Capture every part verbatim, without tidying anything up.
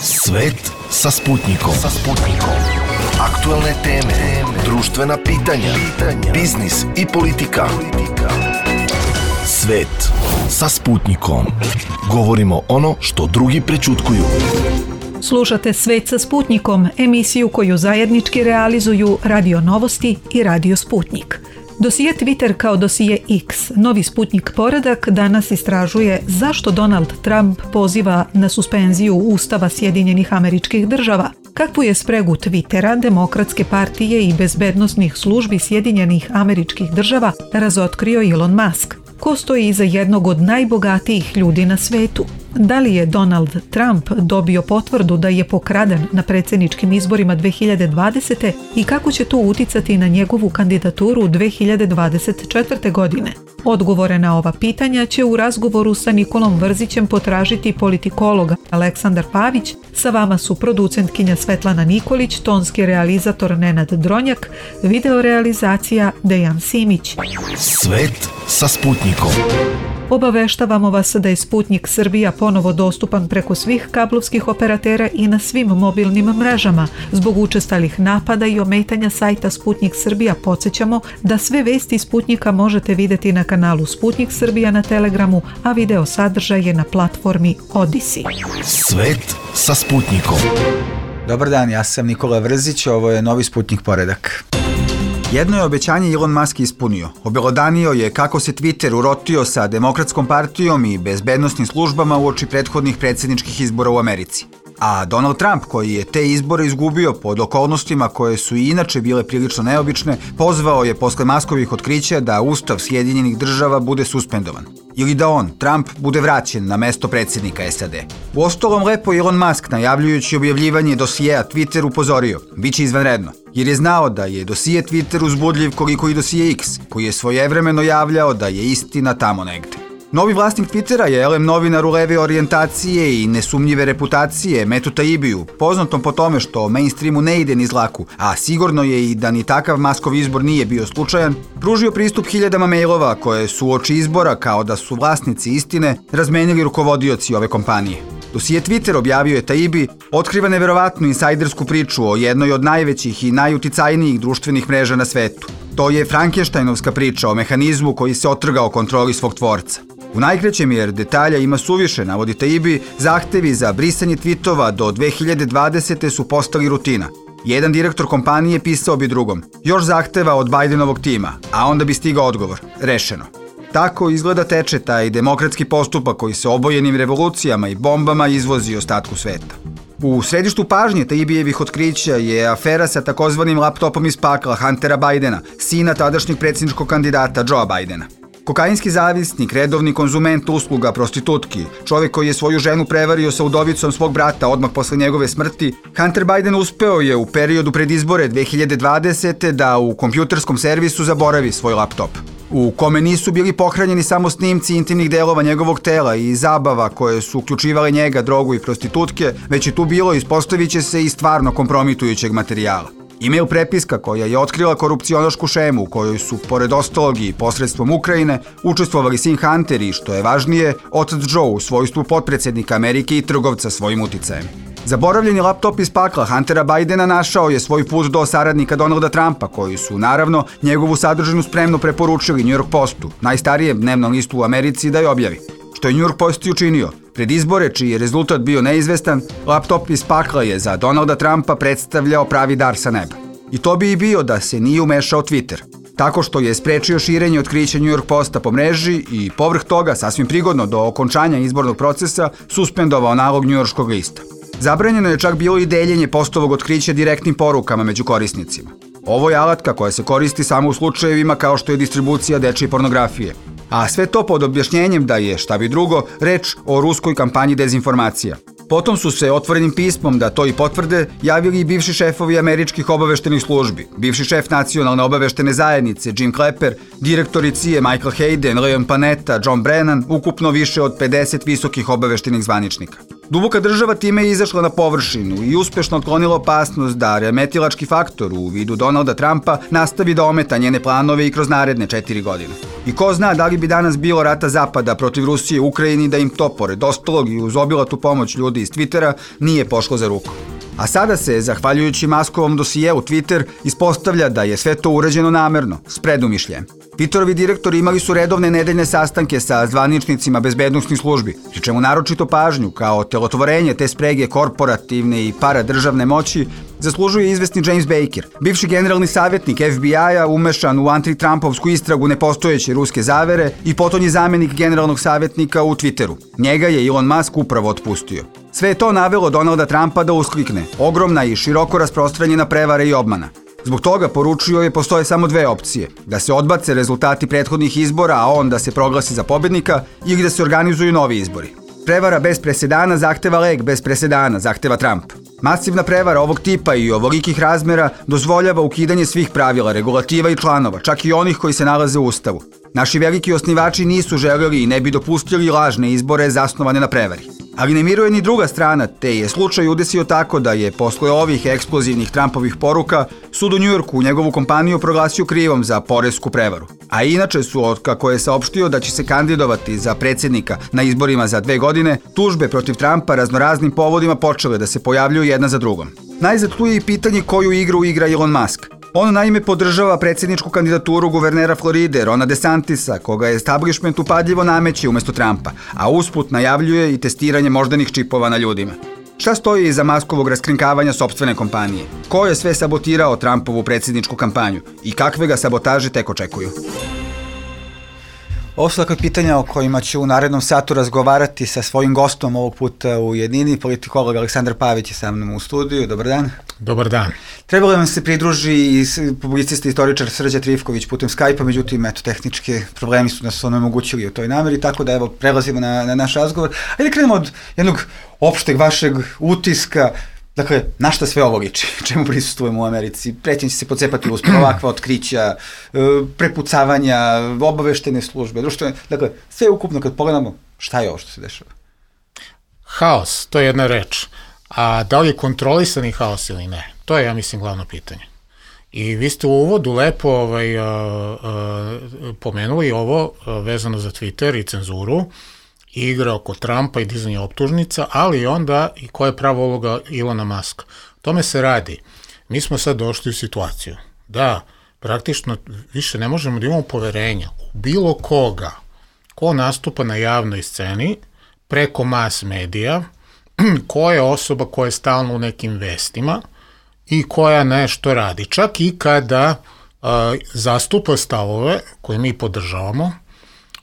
Svet sa Sputnikom. Sa Sputnikom. Aktuelne teme, društvena pitanja, biznis i politika. Svet sa Sputnikom. Govorimo ono što drugi prećutkuju. Slušate Svet sa Sputnikom, emisiju koju zajednički realizuju Radio Novosti i Radio Sputnik. Dosije Twitter kao dosije X, novi Sputnik poredak, danas istražuje zašto Donald Trump poziva na suspenziju Ustava Sjedinjenih Američkih Država, kakvu je spregu Twittera, Demokratske partije i bezbednosnih službi Sjedinjenih Američkih Država razotkrio Elon Musk. Ko stoji iza jednog od najbogatijih ljudi na svetu? Da li je Donald Trump dobio potvrdu da je pokraden na predsjedničkim izborima dve hiljade dvadesete. i kako će to uticati na njegovu kandidaturu dve hiljade dvadeset četvrte. godine? Odgovore na ova pitanja će u razgovoru sa Nikolom Vrzićem potražiti politikologa Aleksandar Pavić. Sa vama su producentkinja Svetlana Nikolić, tonski realizator Nenad Dronjak, videorealizacija Dejan Simić. Svet sa Sputnikom. Obaveštavamo vas da je Sputnik Srbija ponovo dostupan preko svih kablovskih operatera i na svim mobilnim mrežama. Zbog učestalih napada i ometanja sajta Sputnik Srbija podsjećamo da sve vesti Sputnika možete vidjeti na kanalu Sputnik Srbija na Telegramu, a video sadržaj je na platformi Odisi. Svet sa Sputnikom. Dobar dan, ja sam Nikola Vrzić, ovo je novi Sputnik poredak. Jedno je obećanje Elon Musk ispunio. Obelodanio je kako se Twitter urotio sa Demokratskom partijom i bezbednosnim službama uoči prethodnih predsjedničkih izbora u Americi. A Donald Trump, koji je te izbore izgubio pod okolnostima koje su i inače bile prilično neobične, pozvao je posle Muskovih otkrića da Ustav Sjedinjenih Država bude suspendovan. Ili da on, Trump, bude vraćen na mesto predsjednika S A D. Uostalom, lepo Elon Musk, najavljujući objavljivanje dosijeja Twitter, upozorio, bit će izvanredno, jer je znao da je dosije Twitter uzbudljiv koliko i dosije X, koji je svojevremeno javljao da je istina tamo negde. Novi vlasnik Twittera je elem novinar u leve orijentacije i nesumnjive reputacije Metu Taibiju, poznatom po tome što mainstreamu ne ide niz laku, a sigurno je i da ni takav Muskov izbor nije bio slučajan, pružio pristup hiljadama mailova koje su uoči izbora, kao da su vlasnici istine, razmenili rukovodioci ove kompanije. Dosije Twitter, objavio je Taibi, otkriva neverovatnu insajdersku priču o jednoj od najvećih i najuticajnijih društvenih mreža na svetu. To je Frankensteinovska priča o mehanizmu koji se otrgao kontroli svog tvorca. U najkraćem, jer detalja ima suviše, navodi Taibi, zahtevi za brisanje tweetova do dve hiljade dvadesete. su postali rutina. Jedan direktor kompanije pisao bi drugom, još zahteva od Bidenovog tima, a onda bi stigao odgovor, rešeno. Tako izgleda teče taj demokratski postupak koji se obojenim revolucijama i bombama izvozi ostatku sveta. U središtu pažnje Taibijevih otkrića je afera sa takozvanim laptopom iz pakla Huntera Bidena, sina tadašnjeg predsjedničkog kandidata Joea Bidena. Kokainski zavisnik, redovni konzument usluga prostitutki, čovjek koji je svoju ženu prevario sa udovicom svog brata odmah posle njegove smrti, Hunter Biden uspeo je u periodu pred izbore dve hiljade dvadesete. da u kompjuterskom servisu zaboravi svoj laptop, u kome nisu bili pohranjeni samo snimci intimnih delova njegovog tela i zabava koje su uključivale njega, drogu i prostitutke, već je tu bilo, ispostavit će se, i stvarno kompromitujućeg materijala. E-mail prepiska koja je otkrila korupcionašku šemu u kojoj su, pored ostalog i posredstvom Ukrajine, učestvovali sin Hunter i, što je važnije, otac Joe u svojstvu potpredsjednika Amerike i trgovca svojim uticajem. Zaboravljeni laptop iz pakla Huntera Bidena našao je svoj put do saradnika Donalda Trumpa, koji su, naravno, njegovu sadržinu spremno preporučili New York Postu, najstarijem dnevnom listu u Americi, da je objavi. Što je New York Post i učinio. Pred izbore, čiji je rezultat bio neizvestan, laptop iz pakla je za Donalda Trumpa predstavljao pravi dar sa neba. I to bi i bio da se nije umešao Twitter, tako što je sprečio širenje otkrića New York Posta po mreži i povrh toga, sasvim prigodno do okončanja izbornog procesa, suspendovao nalog njujorškog lista. Zabranjeno je čak bilo i deljenje postovog otkrića direktnim porukama među korisnicima. Ovo je alatka koja se koristi samo u slučajevima kao što je distribucija dečije pornografije. A sve to pod objašnjenjem da je, šta bi drugo, reč o ruskoj kampanji dezinformacija. Potom su se otvorenim pismom da to i potvrde javili i bivši šefovi američkih obaveštenih službi, bivši šef nacionalne obaveštene zajednice Jim Clapper, direktori C I A Michael Hayden, Leon Panetta, John Brennan, ukupno više od pedeset visokih obaveštenih zvaničnika. Duboka država time je izašla na površinu i uspešno otklonila opasnost da remetilački faktor u vidu Donalda Trumpa nastavi da ometa njene planove i kroz naredne četiri godine. I ko zna da li bi danas bilo rata Zapada protiv Rusije u Ukrajini da im to, pored ostalog i uz obilatu pomoć ljudi iz Twittera, nije pošlo za ruku. A sada se, zahvaljujući Maskovom dosijeu Twitter, ispostavlja da je sve to urađeno namerno, s predumišljajem. Twitterovi direktori imali su redovne nedeljne sastanke sa zvaničnicima bezbednosnih službi, pri čemu naročito pažnju, kao telotvorenje te sprege korporativne i paradržavne moći, zaslužuje izvesni James Baker, bivši generalni savjetnik F B I-a umešan u anti-Trumpovsku istragu nepostojeće ruske zavere i potonji zamenik generalnog savjetnika u Twitteru. Njega je Elon Musk upravo otpustio. Sve je to navelo Donalda Trumpa da usklikne, ogromna i široko rasprostranjena prevara i obmana. Zbog toga, poručio je, postoje samo dve opcije, da se odbace rezultati prethodnih izbora, a on da se proglasi za pobednika, ili da se organizuju novi izbori. Prevara bez presedana zahteva lek bez presedana, zahteva Trump. Masivna prevara ovog tipa i ovolikih razmera dozvoljava ukidanje svih pravila, regulativa i članova, čak i onih koji se nalaze u Ustavu. Naši veliki osnivači nisu želeli i ne bi dopustili lažne izbore zasnovane na prevari. Ali ne miruje ni druga strana, te je slučaj udesio tako da je posle ovih eksplozivnih Trumpovih poruka sud u Njujorku njegovu kompaniju proglasio krivom za poresku prevaru. A inače su, otkako je saopštio da će se kandidovati za predsjednika na izborima za dve godine, tužbe protiv Trumpa raznoraznim povodima počele da se pojavljuju jedna za drugom. Najzad tu je i pitanje koju igru igra Elon Musk. On naime podržava predsjedničku kandidaturu guvernera Floride, Rona DeSantisa, koga je establishment upadljivo nameće umjesto Trumpa, a usput najavljuje i testiranje moždanih čipova na ljudima. Šta stoji iza Muskovog raskrinkavanja sopstvene kompanije? Ko je sve sabotirao Trumpovu predsjedničku kampanju i kakve ga sabotaže tek očekuju? Ovo su dakle pitanja o kojima ću u narednom satu razgovarati sa svojim gostom ovog puta u jednini. Politikolog Aleksandar Pavić je sa mnom u studiju. Dobar dan. Dobar dan. Trebalo vam se pridruži i publicista i istoričar Srđan Trifković putem Skype-a, međutim, eto, tehnički problemi su nas onemogućili u toj nameri, tako da evo, prelazimo na, na naš razgovor. Ajde krenemo od jednog opšteg vašeg utiska. Dakle, na šta sve ovo liči? Čemu prisustujemo u Americi? Prećen će se pocepati uspjeh, ovakva otkrića, prepucavanja, obaveštene službe, društvene. Dakle, sve ukupno kad pogledamo, šta je ovo što se dešava? Haos, to je jedna reč. A da li je kontrolisani haos ili ne? To je, ja mislim, glavno pitanje. I vi ste u uvodu lepo ovaj, a, a, pomenuli ovo a, vezano za Twitter i cenzuru, igra oko Trumpa i dizanja optužnica, ali onda i koja je prava uloga Elona Muska. Tome se radi. Mi smo sad došli u situaciju da praktično više ne možemo da imamo poverenja u bilo koga ko nastupa na javnoj sceni preko mas medija, koja je osoba koja je stalno u nekim vestima i koja nešto radi. Čak i kada a, zastupa stavove koje mi podržavamo,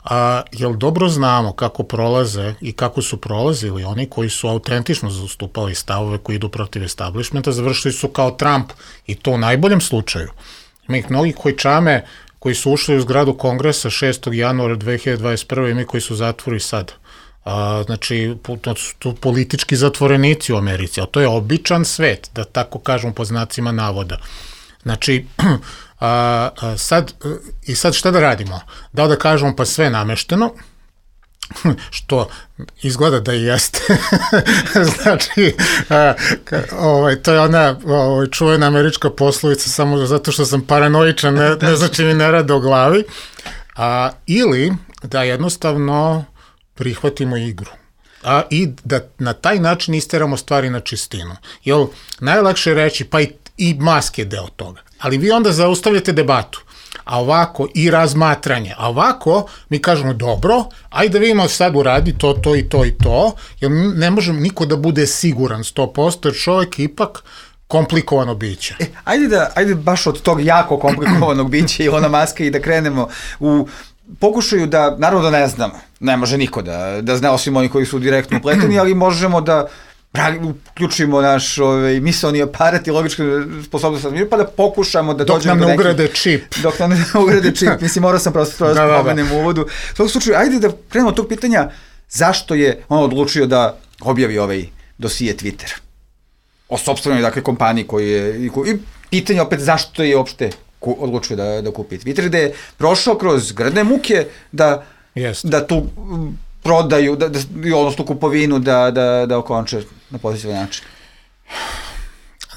a, jer dobro znamo kako prolaze i kako su prolazili oni koji su autentično zastupali stavove koji idu protiv establishmenta, završili su kao Trump i to u najboljem slučaju. Ima ih mnogi koji čame, koji su ušli u zgradu Kongresa šestog januara dve hiljade dvadeset prve i mi koji su zatvori sad. A, znači, to su tu politički zatvorenici u Americi, a to je običan svet, da tako kažem po znacima navoda. Znači, a, a sad, i sad šta da radimo? Da da kažemo pa sve namešteno, što izgleda da i jeste. Znači, a, ka, ovaj, to je ona ovaj, čuvena američka poslovica, samo zato što sam paranoičan, ne, ne znači mi ne rade o glavi. A, ili da jednostavno prihvatimo igru. A, i da na taj način isteramo stvari na čistinu. Jer najlakše je reći, pa i, i Musk je deo toga. Ali vi onda zaustavljate debatu. A ovako i razmatranje. A ovako mi kažemo, dobro, ajde da vidimo sad uradi to, to i to i to, jer ne možemo niko da bude siguran sto posto, jer čovjek ipak komplikovano biće. E, ajde, da, ajde baš od tog jako komplikovanog bića Elona Muska i da krenemo u pokušaju da, naravno da ne znamo, ne može niko da, da zna osim oni koji su direktno upleteni, ali možemo da uključimo naš ovaj, misaoni aparat i logičku sposobnost, pa da pokušamo da dok dođemo do nekih... Dok nam ne ugrade čip. Dok nam ne ugrade čip. Mislim, morao sam prosto da spomenem u uvodu. U svakom slučaju, ajde da krenemo od tog pitanja zašto je on odlučio da objavi ovaj dosije Twitter. O sopstvenoj, dakle, kompaniji koji je... I, i pitanje opet zašto je uopšte odlučio da, da kupi Twitter, gde je prošao kroz grdne muke da, Jest. da tu prodaju, da, da, odnosno kupovinu da, da, da okonče na pozitivan način?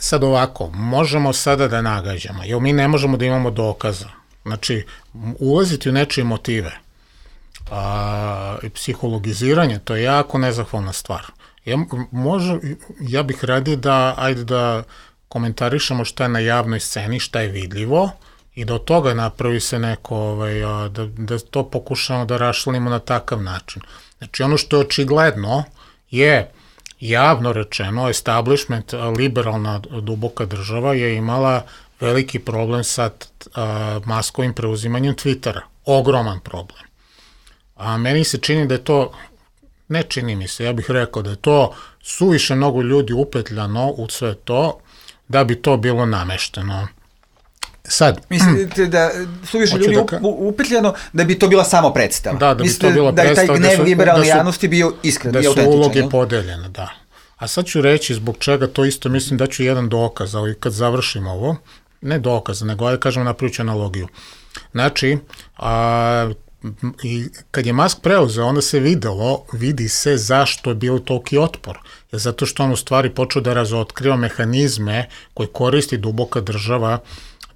Sad ovako, možemo sada da nagađamo, jer mi ne možemo da imamo dokaza. Znači, ulaziti u nečije motive, a, i psihologiziranje, to je jako nezahvalna stvar. Ja, može, ja bih radio da, ajde da komentarišemo šta je na javnoj sceni, šta je vidljivo, i da od toga napravi se neko, ovaj, da, da to pokušamo da raščlanimo na takav način. Znači, ono što je očigledno je javno rečeno, establishment, liberalna duboka država je imala veliki problem sa a, maskovim preuzimanjem Twittera. Ogroman problem. A meni se čini da je to, ne čini mi se, ja bih rekao da je to suviše mnogo ljudi upetljano u sve to, da bi to bilo namešteno. Sad, mislite da suviše ljudi da ka... upetljano da bi to bila samo predstava? Da, da bi to bila predstava. Da je taj gnev liberalne da javnosti bio iskren i autentičan. Da su uloge podeljene, da. A sad ću reći zbog čega to isto, mislim da ću jedan dokaz, ali kad završim ovo, ne dokaz, nego ajde kažemo napravit ću analogiju. Znači, a, i kad je Musk preuzeo, onda se videlo, vidi se zašto je bilo toliki otpor. Jer zato što on u stvari počeo da razotkriva mehanizme koje koristi duboka država,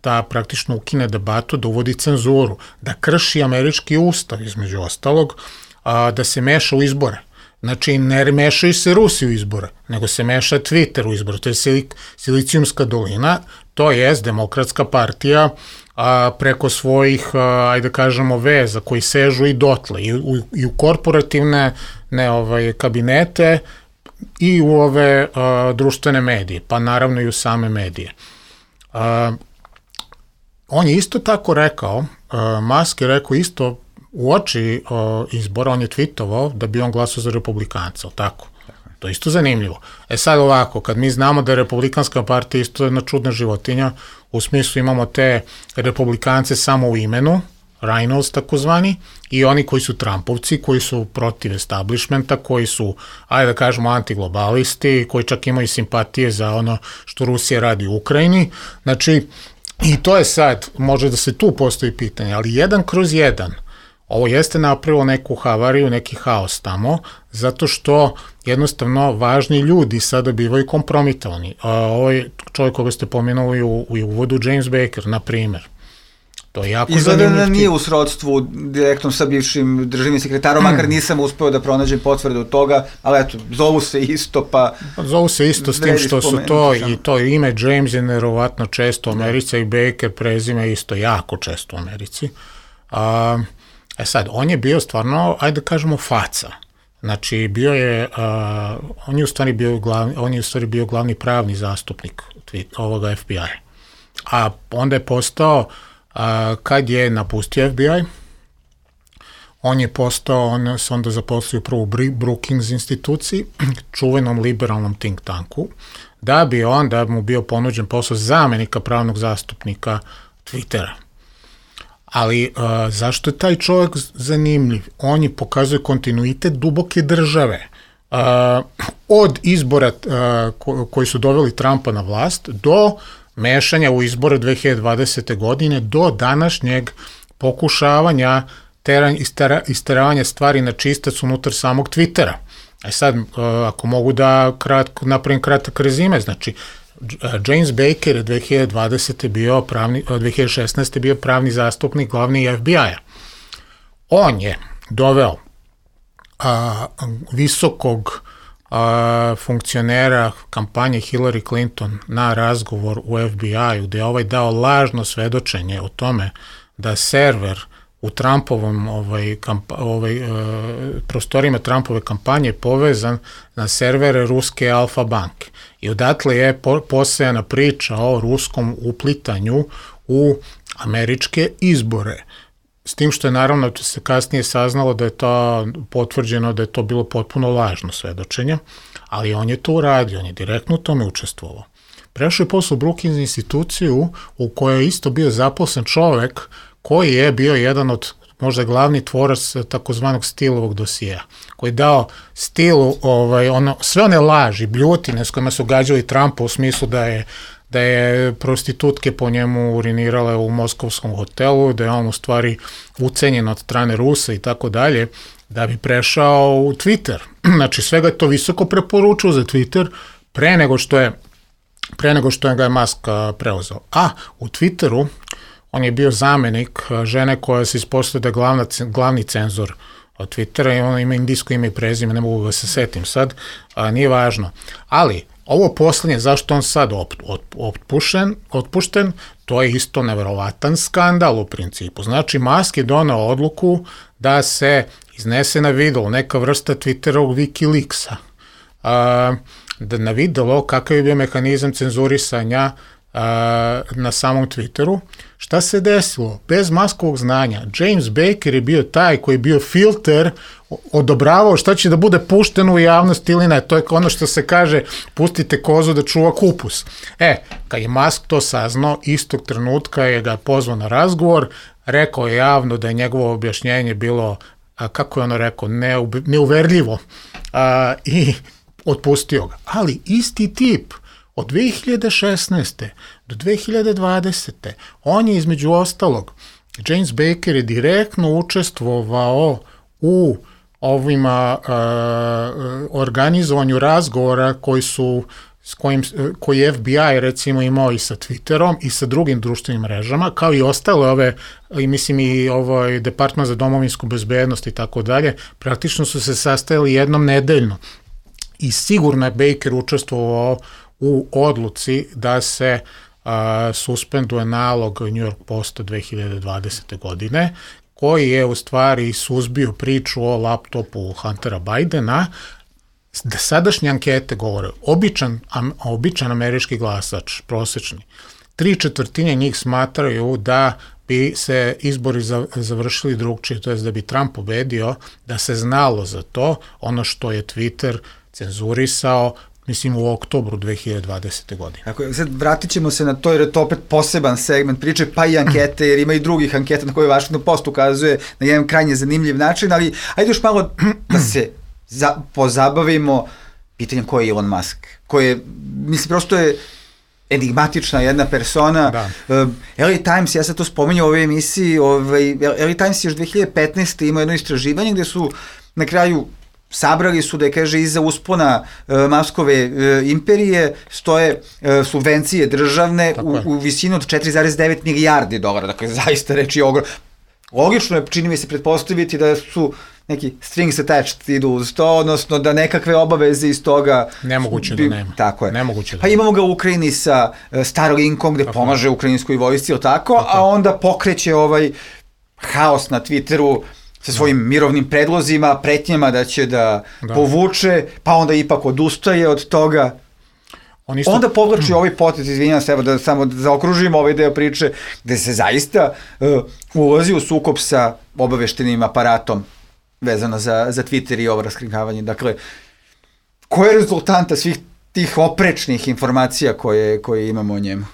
da praktično ukine debatu, da uvodi cenzuru, da krši američki ustav, između ostalog, a, da se meša u izbore. Znači, ne mešaju se Rusi u izbore, nego se meša Twitter u izbore. To je silik, Silicijumska dolina, to je Demokratska partija a, preko svojih, a, ajde kažemo, veza koji sežu i dotle, i u, i u korporativne ne, ovaj, kabinete i u ove a, društvene medije, pa naravno i u same medije. A, on je isto tako rekao, a, Musk je rekao isto u oči o, izbora, on je tweetovao da bi on glasao za republikanca, tako? To je isto zanimljivo. E sad ovako, kad mi znamo da je Republikanska partija isto jedna čudna životinja, u smislu imamo te republikance samo u imenu, rhinos takozvani, i oni koji su Trumpovci, koji su protiv establishmenta, koji su, ajde da kažemo, antiglobalisti, koji čak imaju simpatije za ono što Rusija radi u Ukrajini. Znači, i to je sad, može da se tu postoji pitanje, ali jedan kroz jedan, ovo jeste napravilo neku havariju, neki haos tamo, zato što jednostavno važni ljudi sada bivaju kompromitovani. Ovo je čovjek koga ste pomenuli u, u uvodu, James Baker, na primjer. To je jako zanimljivo. Izgleda da nije u srodstvu direktno sa bivšim državnim sekretarom, makar nisam uspeo da pronađem potvrdu toga, ali eto, zovu se isto, pa... Zovu se isto s tim što su to, i to ime James je nerovatno često u Americi, i Baker prezime isto jako često u Americi. A... E sad, on je bio stvarno, ajde da kažemo, faca. Znači, bio je, uh, on je u stvari bio glavni, on je u stvari bio glavni pravni zastupnik ovoga F B I. A onda je postao, uh, kad je napustio F B I, on je postao, on se onda zaposlio prvo u Brookings instituciji, čuvenom liberalnom think tanku, da bi onda mu bio ponuđen posao zamenika pravnog zastupnika Twittera. Ali uh, zašto je taj čovjek zanimljiv? On je pokazuje kontinuitet duboke države. Uh, od izbora uh, ko, koji su doveli Trumpa na vlast do mešanja u izbore dve hiljade dvadesete. godine do današnjeg pokušavanja teran, istera, isteravanja stvari na čistac unutar samog Twittera. E sad, uh, ako mogu da kratko, napravim kratak rezime, znači James Baker je dve hiljade dvadesete. bio pravni, dve hiljade šesnaeste. bio pravni zastupnik glavni F B I-a. On je doveo a, visokog a, funkcionera kampanje Hillary Clinton na razgovor u F B I-u, gde je ovaj dao lažno svedočenje o tome da server u Trumpovom ovaj, kampa, ovaj, e, prostorima Trumpove kampanje povezan na servere ruske Alfa banke. I odatle je po, posejana priča o ruskom uplitanju u američke izbore. S tim što je naravno se kasnije saznalo da je to potvrđeno da je to bilo potpuno lažno svedočenje, ali on je to uradio, on je direktno u tome učestvovao. Prešao je posle u Brookings instituciju u kojoj je isto bio zaposlen čovek koji je bio jedan od možda glavni tvorac takozvanog Steelovog dosija, koji je dao Steelu ovaj, ono, sve one laži, bljutine s kojima su gađali Trumpa u smislu da je da je prostitutke po njemu urinirale u moskovskom hotelu, da je on u stvari ucenjen od strane Rusa i tako dalje, da bi prešao u Twitter. Znači, svega je to visoko preporučio za Twitter pre nego što je pre nego što je ga je Musk preuzeo. A u Twitteru on je bio zamenik žene koja se ispostavlja da je glavna, glavni cenzor od Twittera i ona ima indijsko ime i prezime, ne mogu da se setim sad, a, nije važno. Ali, ovo poslednje, zašto on sad op, op, otpušen, otpušten, to je isto neverovatan skandal u principu. Znači, Musk je donao odluku da se iznese na video neka vrsta Twitterovog Wikileaksa, a, da na videlo kakav je bio mehanizam cenzurisanja a, na samom Twitteru. Šta se desilo? Bez Muskovog znanja, James Baker je bio taj koji je bio filter, odobravao šta će da bude pušteno u javnost ili ne. To je ono što se kaže, pustite kozu da čuva kupus. E, kad je Musk to saznao, istog trenutka je ga pozvao na razgovor, rekao je javno da je njegovo objašnjenje bilo, a, kako je ono rekao, neube, neuverljivo a, i otpustio ga. Ali isti tip od dve hiljade šesnaeste do dve hiljade dvadesete on je između ostalog, James Baker je direktno učestvovao u ovima uh, organizovanju razgovora koji su s kojim, koji je F B I recimo imao i sa Twitterom i sa drugim društvenim mrežama, kao i ostale ove, i mislim i ovaj Departman za domovinsku bezbednost i tako dalje, praktično su se sastajali jednom nedeljno. I sigurno je Baker učestvovao u odluci da se a, suspenduje nalog New York Posta dve hiljade dvadesete. godine, koji je u stvari suzbio priču o laptopu Huntera Bidena, da sadašnje ankete govore, običan, am, običan američki glasač, prosečni, tri četvrtine njih smatraju da bi se izbori završili drugčije, to je da bi Trump pobedio, da se znalo za to, ono što je Twitter cenzurisao, mislim u oktobru dve hiljade dvadesete. godine. Dakle, sad vratit ćemo se na to jer je to opet poseban segment priče, pa i ankete, jer ima i drugih anketa na koje Washington Post ukazuje na jedan krajnje zanimljiv način, ali ajde još malo da se za, pozabavimo pitanjem ko je Elon Musk, koji je, mislim, prosto je enigmatična jedna persona. Da. Uh, L A Times, ja sam to spominjao u ovoj emisiji, ovaj, L A Times je još dve hiljade petnaeste. imao jedno istraživanje gde su na kraju sabrali su da je, kaže, iza uspona uh, Muskove uh, imperije stoje uh, subvencije državne u, u visinu od četiri zarez devet milijardi dolara. Dakle, zaista reč je ogrom. Logično je, čini mi se, pretpostaviti da su neki strings attached idu uz to, odnosno da nekakve obaveze iz toga... Nemoguće bi, da nema. Tako je. Nemoguće da pa imamo ga u Ukrajini sa uh, Starlinkom gde tako pomaže ukrajinskoj vojsci, ili tako, tako, a onda pokreće ovaj haos na Twitteru sa svojim da. mirovnim predlozima, pretnjama da će da, da povuče, pa onda ipak odustaje od toga. On isto... Onda povlači ovaj potez, izvinjam se, evo da samo zaokružimo ovaj deo priče, gde se zaista uh, ulazi u sukob sa obaveštenim aparatom vezano za, za Twitter i ovo raskrinkavanje. Dakle, koja je rezultanta svih tih oprečnih informacija koje, koje imamo o njemu?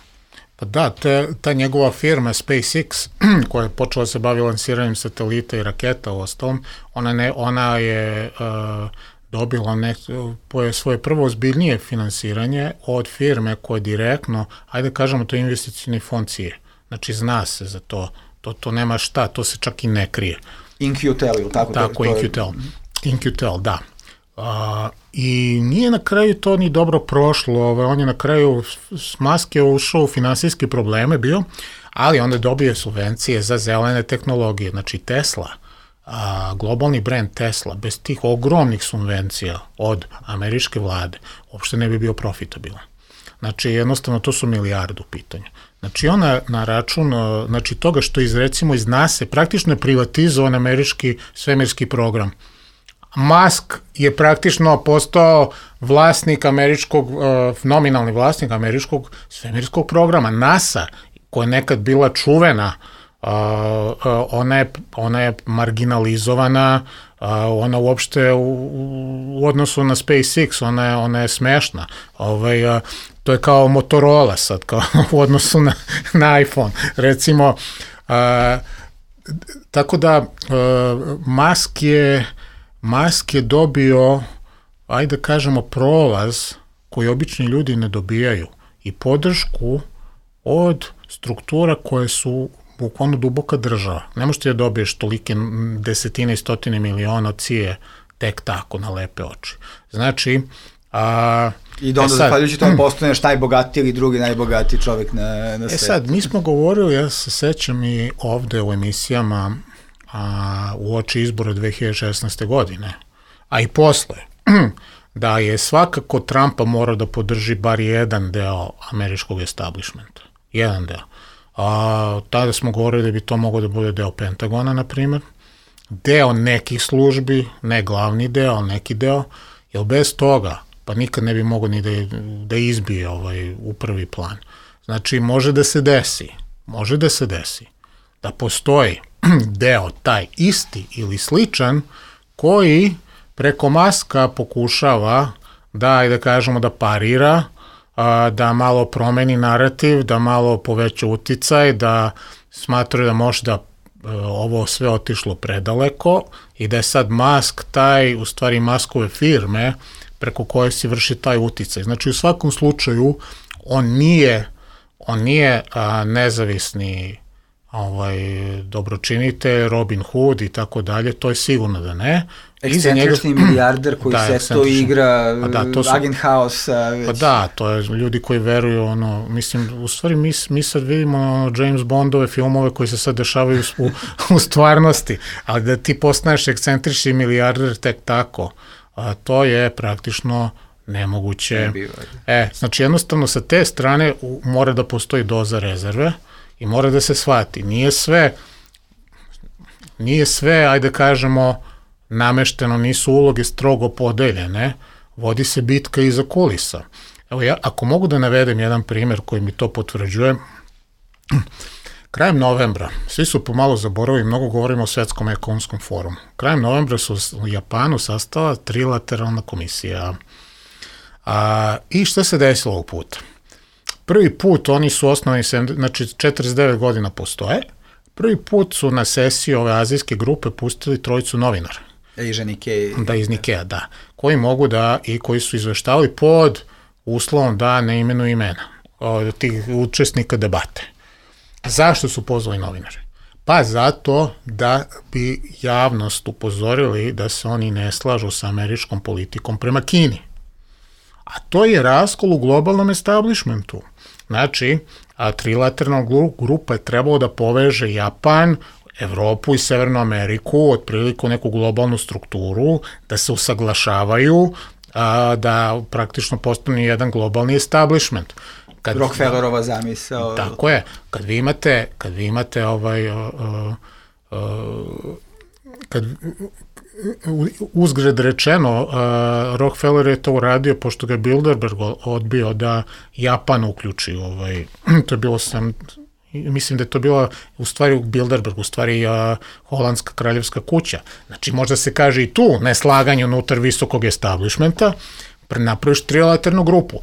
Pa da, te, ta njegova firma SpaceX, koja je počela se bavi lansiranjem satelita i raketa u ostalom, ona, ne, ona je uh, dobila ne, svoje prvo ozbiljnije finansiranje od firme koja direktno, ajde kažemo, to je investicijni fond C I E. Znači, zna se za to, to, to nema šta, to se čak i ne krije. In Q Tel, ili tako? Tako, to, to In Q Tel. Je... In Q Tel, da. Uh, I nije na kraju to ni dobro prošlo, ovaj, on je na kraju s Musk je ušao u finansijske probleme bio, ali onda dobije subvencije za zelene tehnologije, znači Tesla, uh, globalni brand Tesla, bez tih ogromnih subvencija od američke vlade, uopšte ne bi bio profitabilan. Znači, jednostavno, to su milijardu pitanja. Znači, ona na račun, znači, toga što iz, recimo, iz NASA praktično je privatizovan američki svemirski program. Musk je praktično postao vlasnik američkog, uh, nominalni vlasnik američkog svemirskog programa. NASA, koja je nekad bila čuvena, uh, uh, ona, je, ona je marginalizovana, uh, ona uopšte u, u odnosu na SpaceX, ona je, ona je smešna. Ovaj, uh, to je kao Motorola sad, kao u odnosu na, na iPhone. Recimo, uh, tako da uh, Musk je Musk je dobio, ajde da kažemo, prolaz koji obični ljudi ne dobijaju. i podršku od struktura koje su bukvalno duboka država. Ne možete da dobiješ tolike desetine i stotine miliona C I A tek tako na lepe oči. Znači, a, I da onda, e sad, zahvaljujući tome, postaneš najbogatiji ili drugi najbogatiji čovjek na, na svijetu. E sad, mi smo govorili, ja se sećam i ovde u emisijama a, u oči izbora dve hiljade šesnaeste. godine, a i posle, da je svakako Trumpa morao da podrži bar jedan deo američkog establishmenta. Jedan deo. A, tada smo govorili da bi to moglo da bude deo Pentagona, na primjer, deo nekih službi, ne glavni deo, ali neki deo, jer bez toga pa nikad ne bi mogao ni da, da izbije ovaj, u prvi plan. Znači, može da se desi, može da se desi, da postoji deo taj isti ili sličan koji preko Maska pokušava da, da kažemo, da parira, da malo promeni narativ, da malo poveća uticaj, da smatraju da možda ovo sve otišlo predaleko i da je sad Musk taj, u stvari Muskove firme, preko koje se vrši taj uticaj. Znači, u svakom slučaju, on nije, on nije a, nezavisni ovaj, dobročinitelj, Robin Hood i tako dalje, to je sigurno da ne. Ekscentrični njega, milijarder koji da, se to igra, da, to su, agent house. Već. Pa da, to je ljudi koji veruju, ono, mislim, u stvari mi, mi sad vidimo ono, James Bondove filmove koji se sad dešavaju u, u stvarnosti, ali da ti postaneš ekscentrični milijarder tek tako, a to je praktično nemoguće. E, znači jednostavno sa te strane u, mora da postoji doza rezerve i mora da se shvati. Nije sve, nije sve, ajde kažemo, namešteno, nisu uloge strogo podeljene, vodi se bitka iza kulisa. Evo ja, ako mogu da navedem jedan primjer koji mi to potvrđuje, krajem novembra, svi su pomalo zaboravili, mnogo govorimo o Svetskom ekonomskom forumu. Krajem novembra su u Japanu sastala trilateralna komisija. A, I šta se desilo ovog puta? Prvi put oni su osnovani, znači četrdeset devet godina postoje, prvi put su na sesiji ove azijske grupe pustili trojicu novinara. Iz Nikea. Da, iz Nikea, da. Koji mogu da, i koji su izveštavali pod uslovom da ne imenuju imena od tih učesnika debate. Zašto su pozvali novinare? Pa zato da bi javnost upozorili da se oni ne slažu sa američkom politikom prema Kini. A to je raskol u globalnom establishmentu. Znači, a trilateralna grupa je trebalo da poveže Japan, Evropu i Severnu Ameriku, otprilike u neku globalnu strukturu, da se usaglašavaju, a, da praktično postane jedan globalni establishment. Kad, Rockefellerova zamisao. Tako je. Kad vi imate, kad vi imate ovaj, uh, uh, kad uzgred rečeno, uh, Rockefeller je to uradio pošto ga je Bilderberg odbio da Japan uključi. Ovaj, to je bilo sam, mislim da je to bila u stvari Bilderberg, u stvari uh, holandska kraljevska kuća. Znači možda se kaže i tu neslaganje unutar visokog establishmenta, napraviš trilaternu grupu.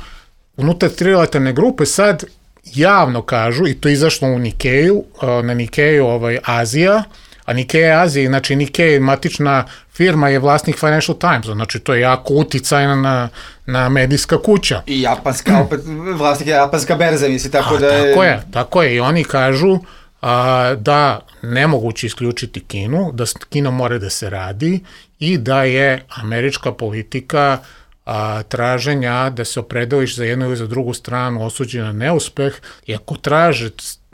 Unutar trilateralne grupe sad javno kažu, i to je izašlo u Nikeju, na Nikeju ovaj, Azija, a Nikea Azija, znači Nikea matična firma je vlasnik Financial Times, znači to je jako uticajna na, na medijska kuća. I japanska, opet vlasnik je japanska berza, misli, tako a, da je... Tako je, tako je, i oni kažu a, da nemoguće isključiti Kinu, da Kina mora da se radi i da je američka politika a, traženja da se opredeliš za jednu ili za drugu stranu osuđena na neuspeh, i ako traže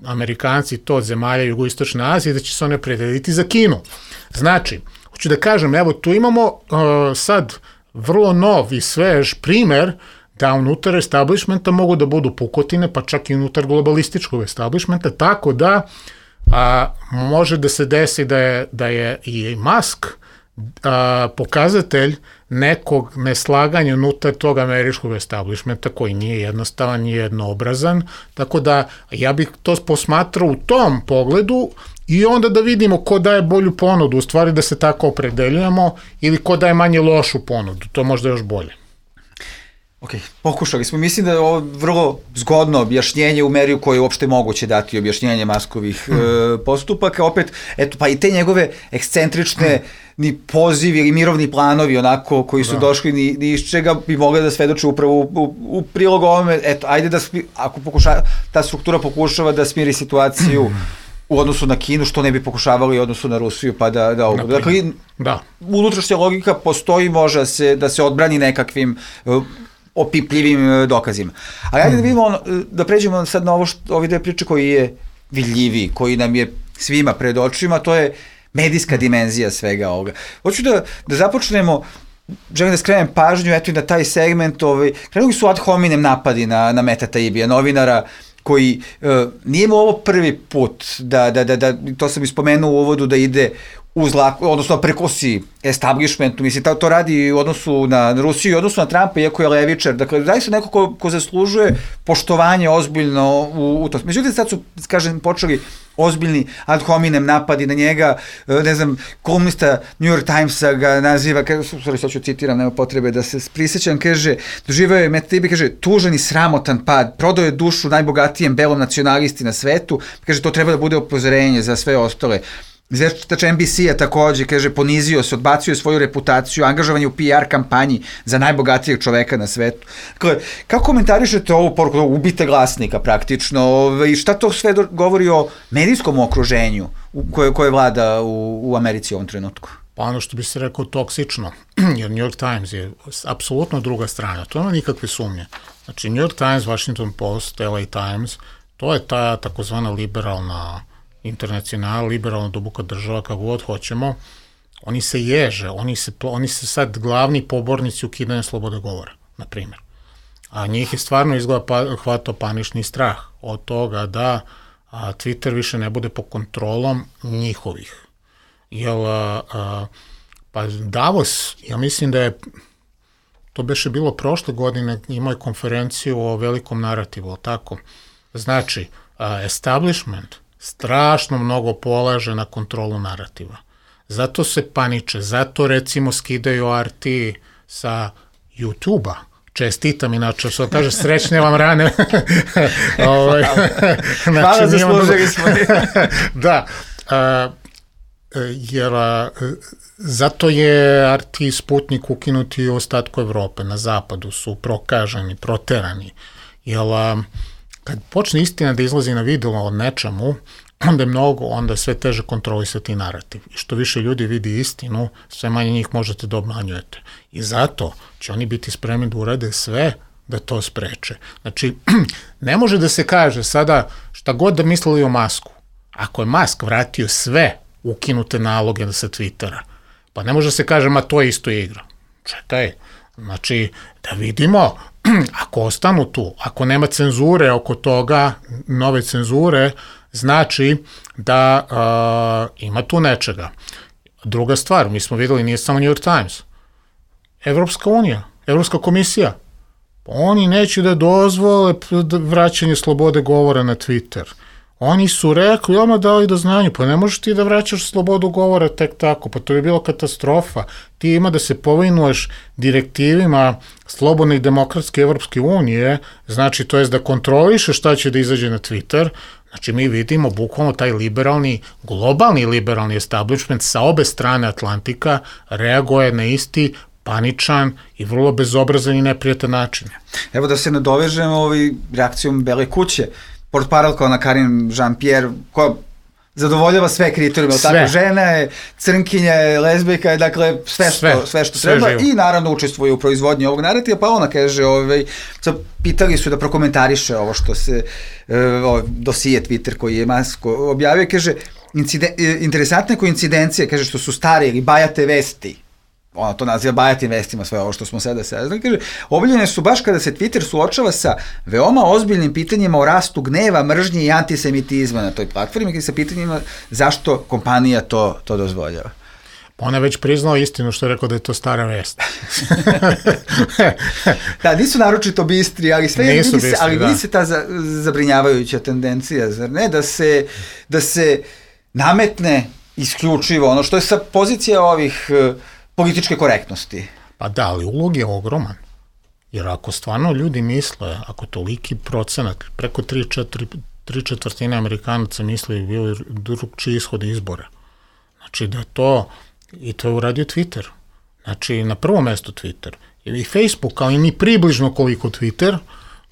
Amerikanci to od zemalja jugoistočne Azije, da će se one opredeliti za Kinu. Znači, hoću da kažem, evo tu imamo uh, sad vrlo nov i svež primer da unutar establishmenta mogu da budu pukotine, pa čak i unutar globalističkog establishmenta, tako da a, može da se desi da je, da je i Musk a, pokazatelj nekog neslaganja unutar tog američkog establishmenta koji nije jednostavan, nije jednoobrazan, tako da ja bih to posmatrao u tom pogledu i onda da vidimo ko daje bolju ponudu, u stvari da se tako opredeljujemo, ili ko daje manje lošu ponudu, to možda još bolje. Ok, pokušali smo. Mislim da je ovo vrlo zgodno objašnjenje u meri u kojoj je uopšte moguće dati objašnjenje Muskovih hmm. e, postupaka. Opet, eto, pa i te njegove ekscentrične ni pozivi ili mirovni planovi onako koji su da. došli ni, ni iz čega bi mogli da svedoče upravo u, u, u prilog ovome, eto, ajde da, ako pokuša, ta struktura pokušava da smiri situaciju u odnosu na Kinu, što ne bi pokušavali u odnosu na Rusiju, pa da... da, da dakle, da. unutrašnja logika postoji, može se, da se odbrani nekakvim uh, opipljivim uh, dokazima. Ali ajde da vidimo, ono, da pređemo sad na ovo što, ovi dve priče koji je vidljiviji, koji nam je svima pred očima, to je medijska dimenzija svega ovoga. Hoću da, da započnemo, želim da skrenem pažnju, eto i na taj segment, ovaj, krenuli su ad hominem napadi na, na Meta Taibija, novinara koji uh, nije mu ovo prvi put, da, da, da, da, to sam ispomenuo u uvodu, da ide uz lako, odnosno prekosi establishmentu, mislim, to radi u odnosu na Rusiju i u odnosu na Trumpa, iako je levičar, dakle, zaista neko ko, ko zaslužuje poštovanje ozbiljno u, u to. Međutim, sad su, kažem, počeli ozbiljni ad hominem napadi na njega, ne znam, kolumnista New York Timesa ga naziva, sorry, sad ću citiram, nema potrebe da se prisjećam, kaže, doživao je Meta Taibbi, kaže, tužan i sramotan pad, prodao je dušu najbogatijem belom nacionalisti na svetu, kaže, to treba da bude upozorenje za sve ostale. Izveštač N B C-a takođe, kaže, ponizio se, odbacio svoju reputaciju, angažovanje u P R kampanji za najbogatijeg čoveka na svetu. Dakle, kako komentarišete ovu poruku, ubite glasnika praktično, i šta to sve govori o medijskom okruženju koje, koje vlada u, u Americi u ovom trenutku? Pa ono što bi se rekao toksično, jer New York Times je apsolutno druga strana, to nema nikakve sumnje. Znači, New York Times, Washington Post, L A Times, to je ta takozvana liberalna internacional, liberalna duboka država, kako god hoćemo, oni se ježe, oni se, oni se sad glavni pobornici ukidanja slobode govora, na primjer. A njih je stvarno izgleda pa, hvatao panični strah od toga da a, Twitter više ne bude pod kontrolom njihovih. Jel, a, a, pa Davos, ja mislim da je, to beše bilo prošle godine, imao je konferenciju o velikom narativu, tako? Znači, a, establishment strašno mnogo polaže na kontrolu narativa. Zato se paniče, zato recimo skidaju R T sa YouTube-a. Čestitam, inače, što kaže, srećne vam rane. Ovaj, Hvala, zaslužili smo. Da, a, jer a, zato je R T Sputnik ukinuti u ostatku Evrope, na zapadu su prokaženi, proterani, jer a, kad počne istina da izlazi na video od nečemu, onda je mnogo, onda je sve teže kontrolisati narativ. I što više ljudi vidi istinu, sve manje njih možete da obmanjujete. I zato će oni biti spremni da urade sve da to spreče. Znači, ne može da se kaže sada šta god da mislili o Masku. Ako je Musk vratio sve ukinute naloge sa Twittera, pa ne može da se kaže, ma to je isto igra. Čekaj, znači, da vidimo, ako ostanu tu, ako nema cenzure oko toga, nove cenzure, znači da uh, ima tu nečega. Druga stvar, mi smo videli, nije samo New York Times, Evropska unija, Evropska komisija, oni neće da dozvole vraćanje slobode govora na Twitter. Oni su rekli, ono dali do znanja, pa ne možeš ti da vraćaš slobodu govora tek tako, pa to je bilo katastrofa. Ti ima da se povinuješ direktivima slobodne i demokratske Evropske unije, znači to je da kontrolišeš šta će da izađe na Twitter. Znači mi vidimo bukvalno taj liberalni, globalni liberalni establishment sa obe strane Atlantika reaguje na isti paničan i vrlo bezobrazan i neprijatan način. Evo da se nadovežemo ovaj reakcijom Bele kuće. Portparolka ona Karine Jean-Pierre, koja zadovoljava sve kriterijume, tako, žena je, crnkinja je, lezbijka je, dakle, sve što, sve, sve što sve treba živo. I naravno učestvuje u proizvodnji ovog narativa, pa ona kaže, ovaj, pitali su da prokomentariše ovo što se, ovaj, dosije Twitter koji je Musk objavio, kaže, inciden, interesantne koincidencije, kaže, što su stare ili bajate vesti, ono to naziva bajatim vestima, sve ovo što smo sada saznali, kaže, objavljene su baš kada se Twitter suočava sa veoma ozbiljnim pitanjima o rastu gneva, mržnje i antisemitizma na toj platformi, i sa pitanjima zašto kompanija to, to dozvoljava. Ona je već priznala istinu što je rekao da je to stara vest. Da, nisu naročito bistri, ali sve vidi se, ali vidi se ta za, zabrinjavajuća tendencija, zar ne, da se, da se nametne isključivo ono što je sa pozicija ovih političke korektnosti. Pa da, ali ulog je ogroman. Jer ako stvarno ljudi misle, ako toliki procenat, preko tri četvrtine Amerikanaca misle i bili drugčiji ishode izbora. Znači da to I to je uradio Twitter. Znači, na prvo mesto Twitter. I Facebook, ali ni približno koliko Twitter,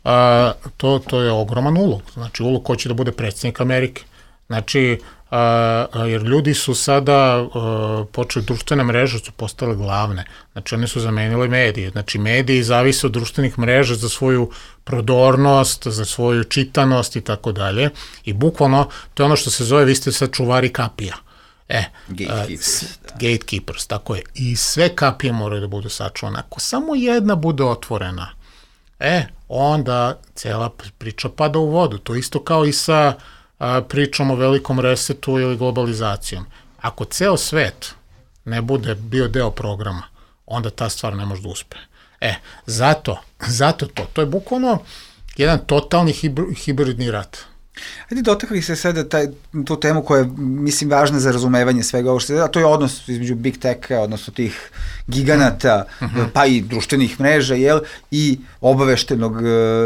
a, to, to je ogroman ulog. Znači, ulog ko će da bude predsjednik Amerike. Znači, a, a, jer ljudi su sada a, počeli, društvene mreže su postale glavne. Znači, one su zamenile medije. Znači, mediji zavise od društvenih mreža za svoju prodornost, za svoju čitanost i tako dalje. I bukvalno, to je ono što se zove, vi ste sad čuvari kapija. E, Gatekeepers, uh, gatekeepers, tako je. I sve kapije moraju da budu sačuvane. Ako samo jedna bude otvorena, e, onda cela priča pada u vodu. To isto kao i sa uh, pričom o velikom resetu ili globalizacijom. Ako ceo svet ne bude bio deo programa, onda ta stvar ne može da uspe. E, zato, zato to. To je bukvalno jedan totalni hibridni rat. Ajde, dotakli se sada taj, tu temu koja je, mislim, važna za razumevanje svega ovo što je, a to je odnos između Big Tech-a, odnosno tih giganata, mm-hmm. pa i društvenih mreža, jel, i obaveštenog uh,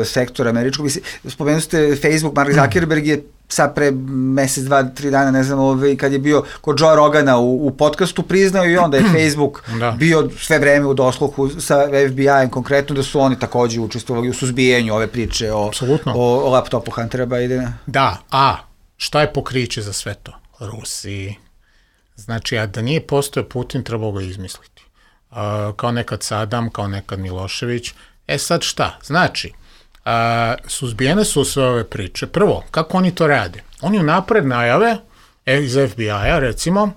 sektora američkog. Spomenuli ste Facebook, Mark Zuckerberg je sad pre mesec, dva, tri dana, ne znam, ovaj, kad je bio kod Joe Rogana u, u podcastu, priznao i onda je Facebook da. bio sve vreme u dosluhu sa F B I-em, konkretno da su oni takođe učestvovali u suzbijenju ove priče o, o, o laptopu Huntera Bidena. Da, a šta je pokriće za sve to? Rusiji. Znači, a da nije postojao Putin, trebao ga izmisliti. Uh, kao nekad Sadam, kao nekad Milošević. E sad šta? Znači, A, suzbijene su sve ove priče. Prvo, kako oni to rade? Oni unapred najave iz F B I-a, recimo,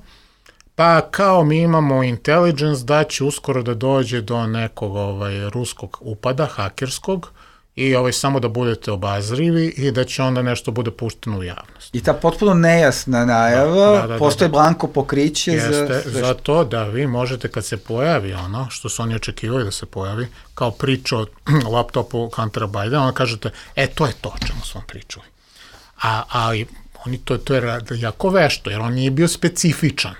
pa kao mi imamo intelligence da će uskoro da dođe do nekog ovaj, ruskog upada, hakerskog, i ovaj, samo da budete obazrivi i da će onda nešto bude pušteno u javnost. I ta potpuno nejasna najava, da, da, da, postoje da, da. blanko pokriće Jeste, za... za to da vi možete kad se pojavi ono što su oni očekivali da se pojavi, kao priča o laptopu Huntera Bidena, onda kažete, e, to je to o čemu su vam pričali. A, a oni to, to je jako vešto, jer on nije bio specifičan.